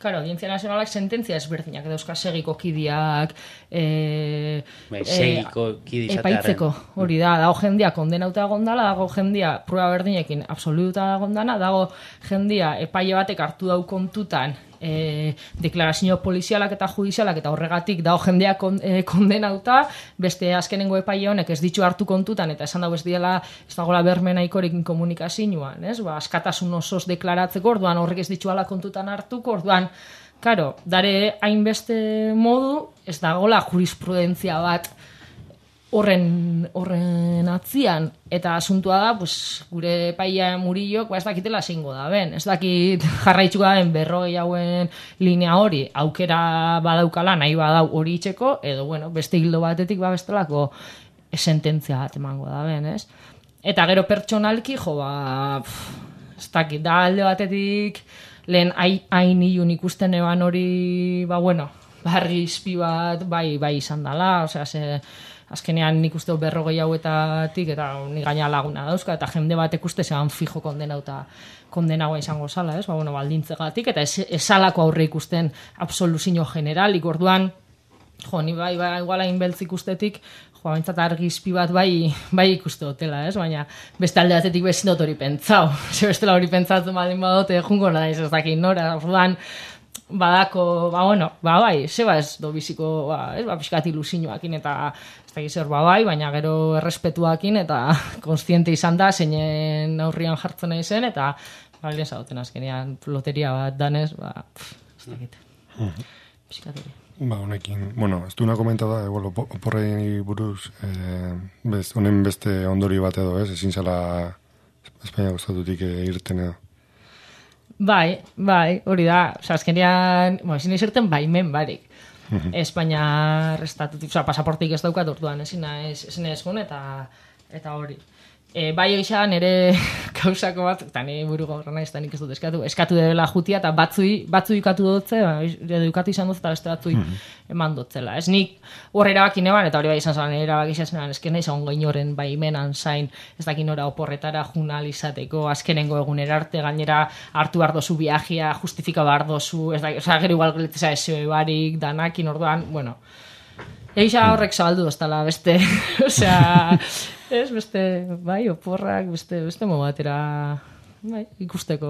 Claro, Audientzia Nazionalak sententzia ezberdinak dauzka segiko kidiak e, bai, segiko kidi e, epaitzeko, hori da, dago jendia kondenauta egondala, dago jendia prueba berdinekin absoluta egondana, dago jendia epaile batek hartu dau kontutan e, deklarazio polizialak eta judizialak eta horregatik dago jendea kon, e, kondenauta, beste azkenengo epaile honek ez ditu hartu kontutan eta esan dago ez diela, ez dagoela berme nahikorekin komunikazioan, ez? Ba, askatasun osoz deklaratzeko, orduan horrek ez dituala kontutan hartuko, orduan karo, dare hainbeste modu, ez dagoela jurisprudentzia bat horren, horren atzian, eta asuntua da, pues, gure epaia Murillok, ba ez dakitela zingo da ben, ez dakit jarraitzuko da ben berrogei hauen linea hori, aukera badaukala, nahi badau hori itxeko, edo, bueno, beste hildo batetik, ba bestelako sententzia bat emango da ben, ez? Eta gero pertsonalki, jo, ba, pff, ez dakit, da alde batetik, lehen hain ilun ikusten eban hori, ba, bueno, barri izpi bat, bai, bai izan dala, osea, ze, azkenean nik uste berrogei hauetatik, eta ni gaina laguna dauzka, eta jende bat ikuste zean fijo kondenauta, kondenagoa izango zala, ez? Ba, bueno, baldintzegatik, eta esalako aurre ikusten absoluzio generalik, orduan, jo, ni bai, bai, iguala inbeltz ikustetik, jo, bintzat argizpi bat bai, bai ikuste hotela, ez? Baina, beste alde batetik bezin dut hori pentsau, ze bestela hori pentsatzen baldin badote, jungo naiz ez dakit nora, orduan, badako, ba, bueno, ba, bai, zeba ez do biziko, ba, ez, ba, pixkat ilusioakin eta ez da gizor, ba, bai, baina gero errespetuakin eta konstiente izan da, zeinen aurrian jartzen nahi zen, eta, ba, lehen zauten azkenean, loteria bat danez, ba, pff, ez da gite. Pixkat hori. Ba, honekin, bueno, ez duena komenta da, igual, oporrei buruz, eh, bez, honen beste ondori bat edo, ez, ezin zala Espainia gustatutik irten edo. Bai, bai, hori da, oza, azkenean, bueno, ezin izerten baimen barik. Espainia restatutik, oza, pasaportik ez daukat orduan, ezin naiz, ezin naiz gun, eta, eta hori. E, bai egisa nire kausako bat, eta nire buru gaurra nahiz, eta nik ez dut eskatu, eskatu dela jutia, eta batzui, batzui ikatu dutze, ba, edukatu izan dut, eta beste batzui eman dutzela. Ez nik horre erabakin eban, eta hori bai izan zela nire erabakizaz, ezken nahiz ongo inoren baimenan zain, ez dakin ora oporretara junalizateko, azkenengo egunera arte, gainera hartu bardozu viajia, justifika bardozu, ez da, oza, gero igual gleteza ese barik, danakin, orduan, bueno, egisa horrek zabaldu doztala, beste, osea, ez, beste, bai, oporrak, beste, beste mo batera, bai, ikusteko,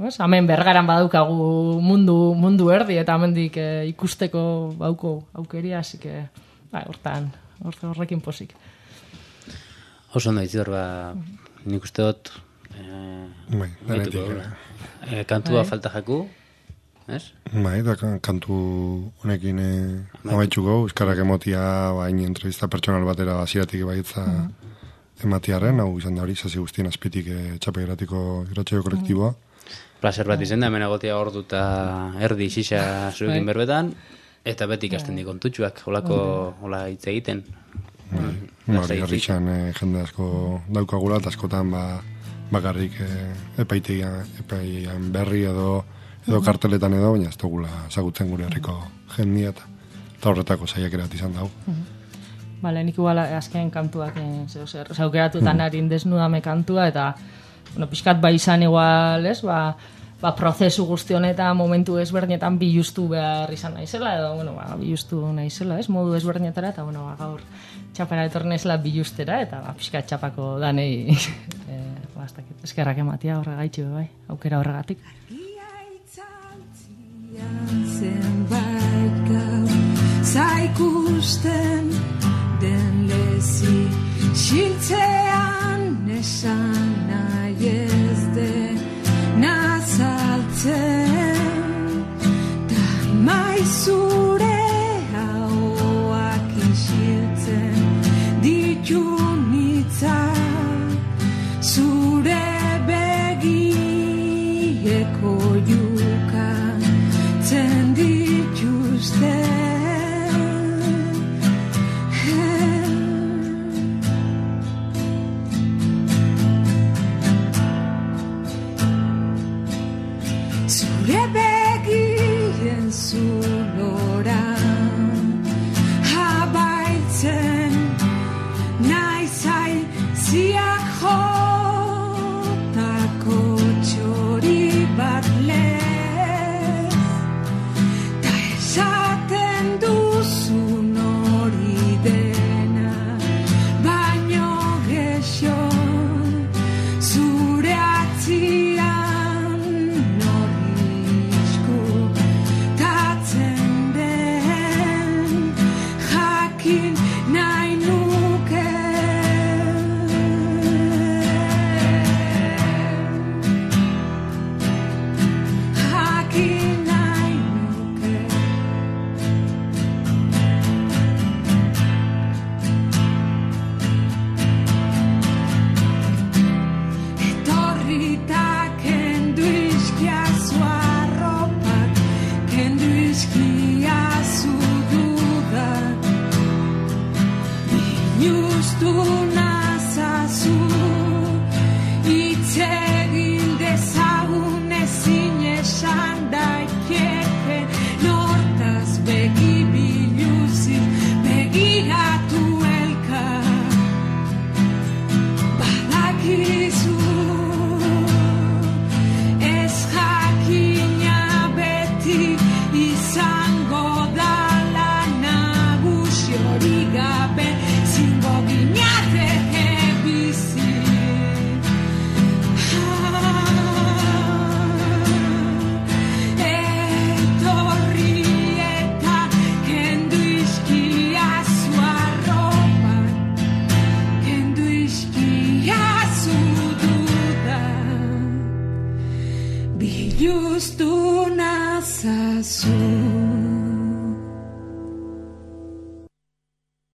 ez, hemen bergaran badaukagu mundu, mundu erdi, eta hemendik eh, ikusteko bauko aukeria, así que, bai, hortan, horrekin posik. Oso ondo itzor, ba, nik uste dut, eh, bai, denetik, eh, kantua bai. Falta jaku, ez? Bai, da kantu honekin eh, amaitxuko, euskarak emotia, bain entrevista pertsonal batera hasieratik baitza mm. ematiarren, hau izan da hori, zazi guztien azpitik eh, txapegratiko irratsaio kolektiboa. Placer bat izan da, hemen agotia ordu eta erdi xisa zurekin berbetan, eta beti ikasten di kontutxuak, holako, hola hitz egiten. Bai, hori harritxan eh, jende asko daukagula, eta askotan ba, bakarrik eh, epaitegian, epaian berri edo edo karteletan edo, baina ez dugula zagutzen gure herriko jendia eta horretako saiak erat izan dago. Bale, nik igual azken kantuak zer, zaukeratutan harin desnudame kantua, eta bueno, pixkat bai izan igual, ez, ba, ba prozesu guzti honetan momentu ezberdinetan bilustu behar izan naizela, edo, bueno, ba, bilustu naizela, ez, modu ezberdinetara, eta, bueno, ba, gaur txapera etornezela bilustera, eta ba, pixkat txapako danei e, ba, eskerrak ematia horregaitxu, bai, aukera horregatik. Zenbait gau zaikusten den lezi xiltzean esan nahi ez den nazaltzen da maizure hauak isiltzen ditu nitzak zure begieko juka zen dituzte zure begien zulora abaitzen naizai ziak jotako txori bat lehen esaten duzun hori dena, baino gexo zure atzian norri isku tatzen den. justu nazazu.